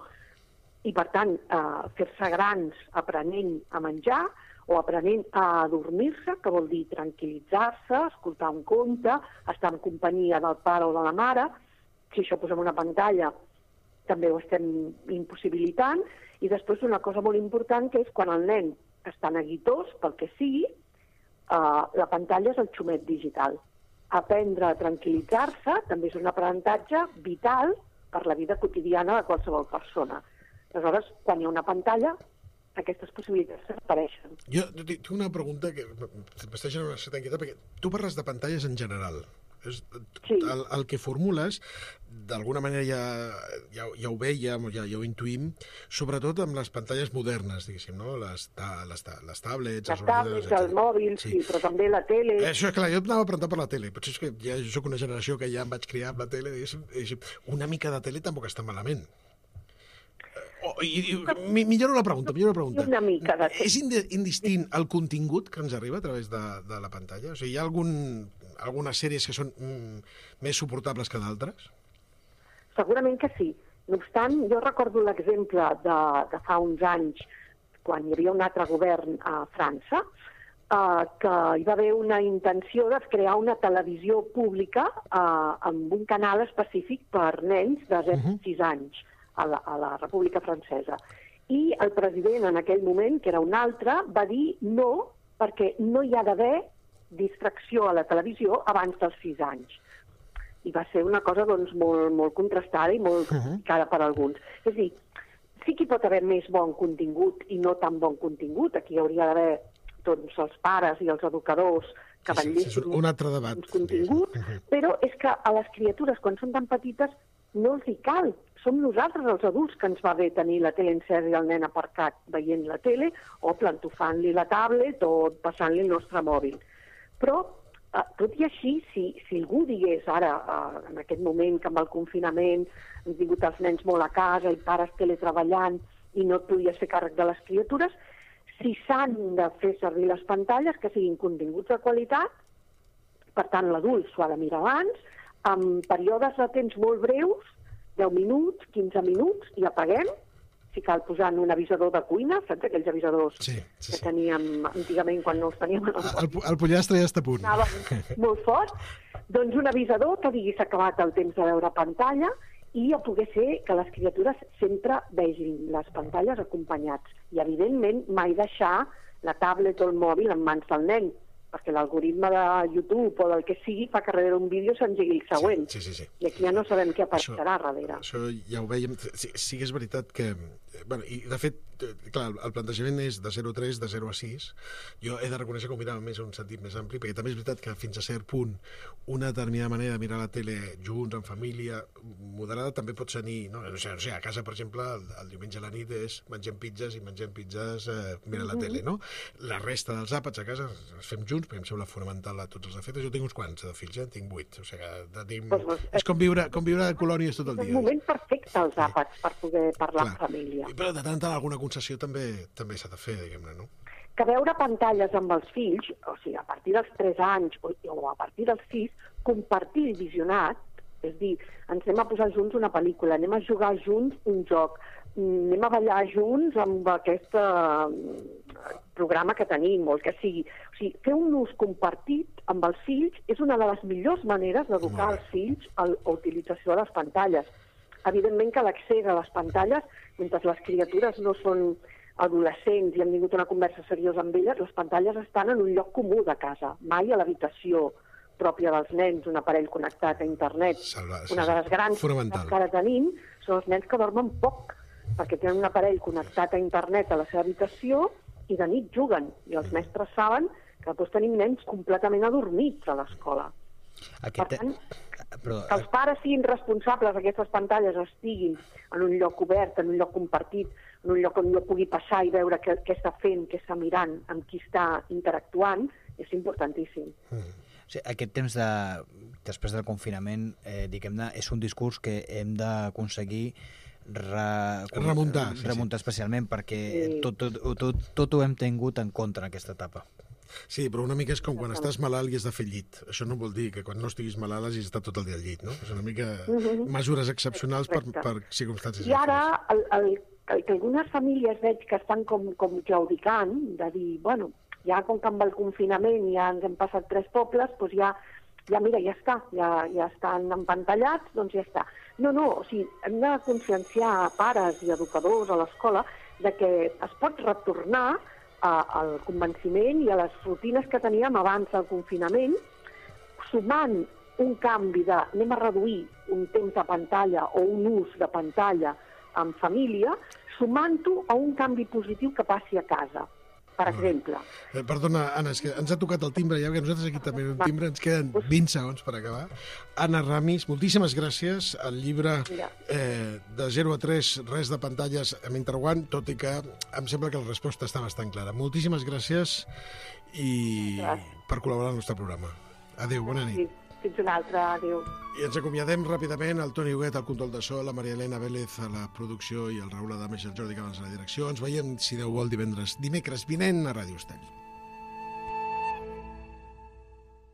i per tant eh, fer-se grans aprenent a menjar o aprenent a adormir-se, que vol dir tranquil·litzar-se, escoltar un conte, estar en companyia del pare o de la mare, si això posem una pantalla, també ho estem impossibilitant. I després una cosa molt important, que és quan el nen està neguitós, pel que sigui, uh, la pantalla és el xumet digital. Aprendre a tranquil·litzar-se també és un aprenentatge vital per la vida quotidiana de qualsevol persona. Aleshores, quan hi ha una pantalla, aquestes possibilitats desapareixen. Jo tinc una pregunta que m'està generant una certa inquietud, perquè tu parles de pantalles en general. És, sí. el, el que formules, d'alguna manera ja, ja, ja ho vèiem, ja, ja ho intuïm, sobretot amb les pantalles modernes, diguéssim, no? Les, ta, les, ta, les tablets... Les tablets, el mòbil, sí. sí, però també la tele... Eh, això, clar, jo anava a preguntar per la tele, potser és que ja soc una generació que ja em vaig criar amb la tele, diguéssim, diguéssim, una mica de tele tampoc està malament. Oh, i, i, milloro la pregunta, milloro la pregunta. Una mica de... És indistint el contingut que ens arriba a través de, de la pantalla? O sigui, hi ha algun, algunes sèries que són mm, més suportables que d'altres? Segurament que sí. No obstant, jo recordo l'exemple de, de fa uns anys, quan hi havia un altre govern a França, eh, que hi va haver una intenció de crear una televisió pública eh, amb un canal específic per nens de zero a sis anys. A la, a la República Francesa. I el president en aquell moment, que era un altre, va dir no, perquè no hi ha d'haver distracció a la cridació abans dels sis anys. I va ser una cosa doncs, molt, molt contrastada i molt criticada per alguns. És a dir, sí que hi pot haver més bon contingut i no tan bon contingut. Aquí hauria d'haver doncs, els pares i els educadors que vetllessin sí, sí, un altre debat, contingut, però és que a les criatures, quan són tan petites, no els hi cal. Som nosaltres, els adults, que ens va bé tenir la tele encesa i el nen aparcat veient la tele o plantofant-li la tablet o passant-li el nostre mòbil. Però, eh, tot i així, si, si algú digués ara, eh, en aquest moment que amb el confinament han tingut els nens molt a casa i pares teletreballant i no et podies fer càrrec de les criatures, si s'han de fer servir les pantalles, que siguin continguts de qualitat, per tant l'adult s'ho ha de mirar abans, amb períodes de temps molt breus, deu minuts, quinze minuts, i apaguem, si cal posar un avisador de cuina, saps aquells avisadors sí, sí, sí. que teníem antigament quan no els teníem en el el, el pollastre ja està a punt. Anava molt fort. Doncs un avisador que digui s'ha acabat el temps de veure pantalla i a poder ser que les criatures sempre vegin les pantalles acompanyats. I, evidentment, mai deixar la tablet o el mòbil en mans del nen, perquè l'algoritme de YouTube o del que sigui fa que darrere un vídeo s'engegui el següent. Sí, sí, sí, sí. I aquí ja no sabem què apareixerà això, darrere. Això ja ho veiem. Sí, sí que és veritat que... Bueno, i de fet, clar, el plantejament és de zero a tres, de zero a sis. Jo he de reconèixer que ho mirava més en un sentit més ampli, perquè també és veritat que fins a cert punt una determinada manera de mirar la tele junts, en família, moderada, també pot tenir... No, no, sé, no sé, a casa, per exemple, el, el diumenge a la nit és mengem pizzas i mengem pizzas eh, mirant la tele, no? La resta dels àpats a casa els fem junts, perquè em sembla fonamental a tots els efectes. Jo tinc uns quants de fills, eh? En tinc vuit. O sigui que tenim... pues, pues, és com viure, com viure a colònies tot el dia. És un moment perfecte, els àpats, per poder parlar Clar. en família. Però de tant en tant alguna concessió també també s'ha de fer, diguem-ne, no? Que veure pantalles amb els fills, o sigui, a partir dels tres anys o, o a partir dels sis, compartir el visionat, és dir, ens anem a posar junts una pel·lícula, anem a jugar junts un joc, anem a ballar junts amb aquest eh, programa que tenim, o el que sigui. O sigui, fer un ús compartit amb els fills és una de les millors maneres d'educar els fills a l'utilització de les pantalles. Evidentment que l'accés a les pantalles, mentre les criatures no són adolescents i han tingut una conversa seriosa amb elles, les pantalles estan en un lloc comú de casa, mai a l'habitació pròpia dels nens, un aparell connectat a internet. Salva, una de les grans que ara tenim són els nens que dormen poc, perquè tenen un aparell connectat a internet a la seva habitació i de nit juguen. I els mestres saben que després tenim nens completament adormits a l'escola. Aquest... Per tant, Però... que els pares siguin responsables d'aquestes pantalles, estiguin en un lloc obert, en un lloc compartit, en un lloc on jo pugui passar i veure què, què està fent, què està mirant, amb qui està interactuant, és importantíssim. Mm. O sigui, aquest temps de, després del confinament, eh, diguem-ne, és un discurs que hem d'aconseguir Re... remuntar, sí, remuntar sí. especialment, perquè sí. tot, tot, tot, tot ho hem tingut en contra en aquesta etapa. Sí, però una mica és com quan estàs malalt i has de fer llit. Això no vol dir que quan no estiguis malalt hagis d'estar tot el dia al llit, no? És una mica uh-huh. mesures excepcionals per, per circumstàncies. I ara, el, el, el que algunes famílies veig que estan com, com claudicant, de dir, bueno, ja com que amb el confinament ja ens hem passat tres pobles, doncs ja ja mira, ja està, ja, ja estan empantallats, doncs ja està. No, no, o sigui, hem de conscienciar pares i educadors a l'escola de que es pot retornar a, al convenciment i a les rutines que teníem abans del confinament, sumant un canvi de anem a reduir un temps de pantalla o un ús de pantalla en família, sumant-ho a un canvi positiu que passi a casa. Per exemple. Eh, perdona, Anna, és que ens ha tocat el timbre, ja que nosaltres aquí també un timbre, ens queden vint segons per acabar. Anna Ramis, moltíssimes gràcies. El llibre eh, de zero a tres, res de pantalles amb interrogant, tot i que em sembla que la resposta està bastant clara. Moltíssimes gràcies i gràcies per col·laborar al nostre programa. Adéu, bona nit. Sí. Fins una altra, adéu. I ens acomiadem ràpidament, el Toni Huguet al control de so, la Maria Elena Vélez a la producció i el Raül Adames i el Jordi Cabans a la direcció. Ens veiem, si Déu vol, divendres, dimecres vinent a Ràdio Estel.